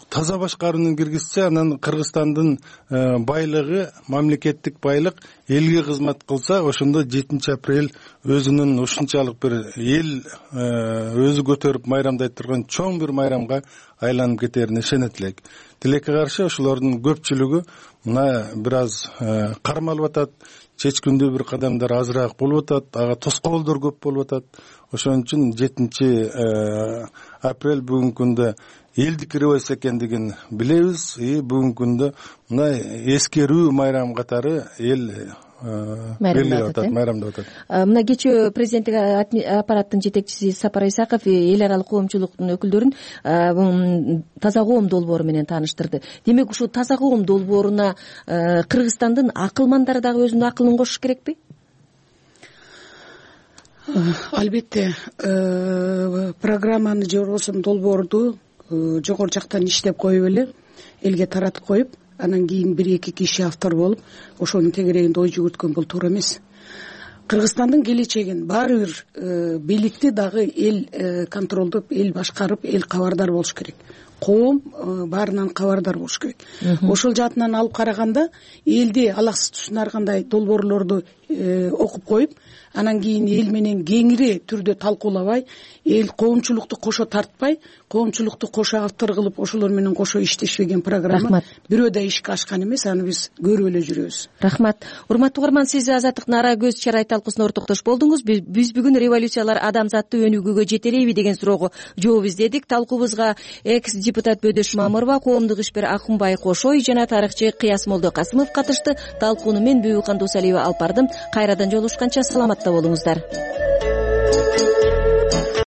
таза башкарууну киргизсе, анан Кыргызстандын байлыгы, мамлекеттик байлык элге кызмат кылса, ошондо 7 апрель өзүнүн ушунчалык бир эл өзү көтөрүп майрамдай турган чоң бир майрамга айланып кетерине ишенет элек. Тилекке каршы ошолордун көпчүлүгү мына бир аз кармалып атат, чечкиндүү бир кадамдар азыраак болуп атат, ага тоскоолдор көп болуп атат. Ошон үчүн 7 апрель бүгүнкү күндө элдик революция экендигин билебиз. Бүгүнкү күндө мына эскерүү майрам катары эл белгилеп атат, майрамдап атат. Мына кечээ президенттик аппараттын жетекчиси Сапар Исаков эл аралык коомчулуктун өкүлдөрүн таза коом долбоору менен тааныштырды. Демек ушул таза коом долбооруна Кыргызстандын акылмандары дагы өзүнүн акылын кошуш керекпи? Албетте, программаны же болбосо долбоорду жогору жактан иштеп коюп эле элге таратып коюп, анан кийин 1-2 киши автор болуп ошонун тегерегинде ой жүгүрткөн бул туура эмес. Кыргызстандын келечегин баары бир бийликти дагы эл контролдоп, эл башкарып, эл кабардар болуш керек. Коом баарынан кабардар болуш керек. Ошол жаатынан алып караганда элди алаксыз тушунаргандай долбоорлорду окуп коюп, анан кийин эл менен кеңири түрдө талкуулабай, эл коомчулукту кошо тартпай, коомчулукту кошо автор кылып, ошолор менен кошо иштешпеген программа бирөө да ишке ашкан эмес, аны биз көрүп эле жүрөбүз. Рахмат. Урматтуу угарман, сиз Азаттыктын ара көз чарай талкуусуна ортоктош болдуңуз. Биз бүгүн революциялар адамзатты өнүгүүгө жетелейби деген суроого жооп издедик. Талкуубузга экс-депутат Бөдөш Мамырова, коомдук ишкер Акунбай Кошой жана тарыхчы Кыяс Молдокасымов катышты. Талкууну мен Бүбү Кандусалиева алып бардым. Кайрадан жолугушканча саламатта болуңуздар.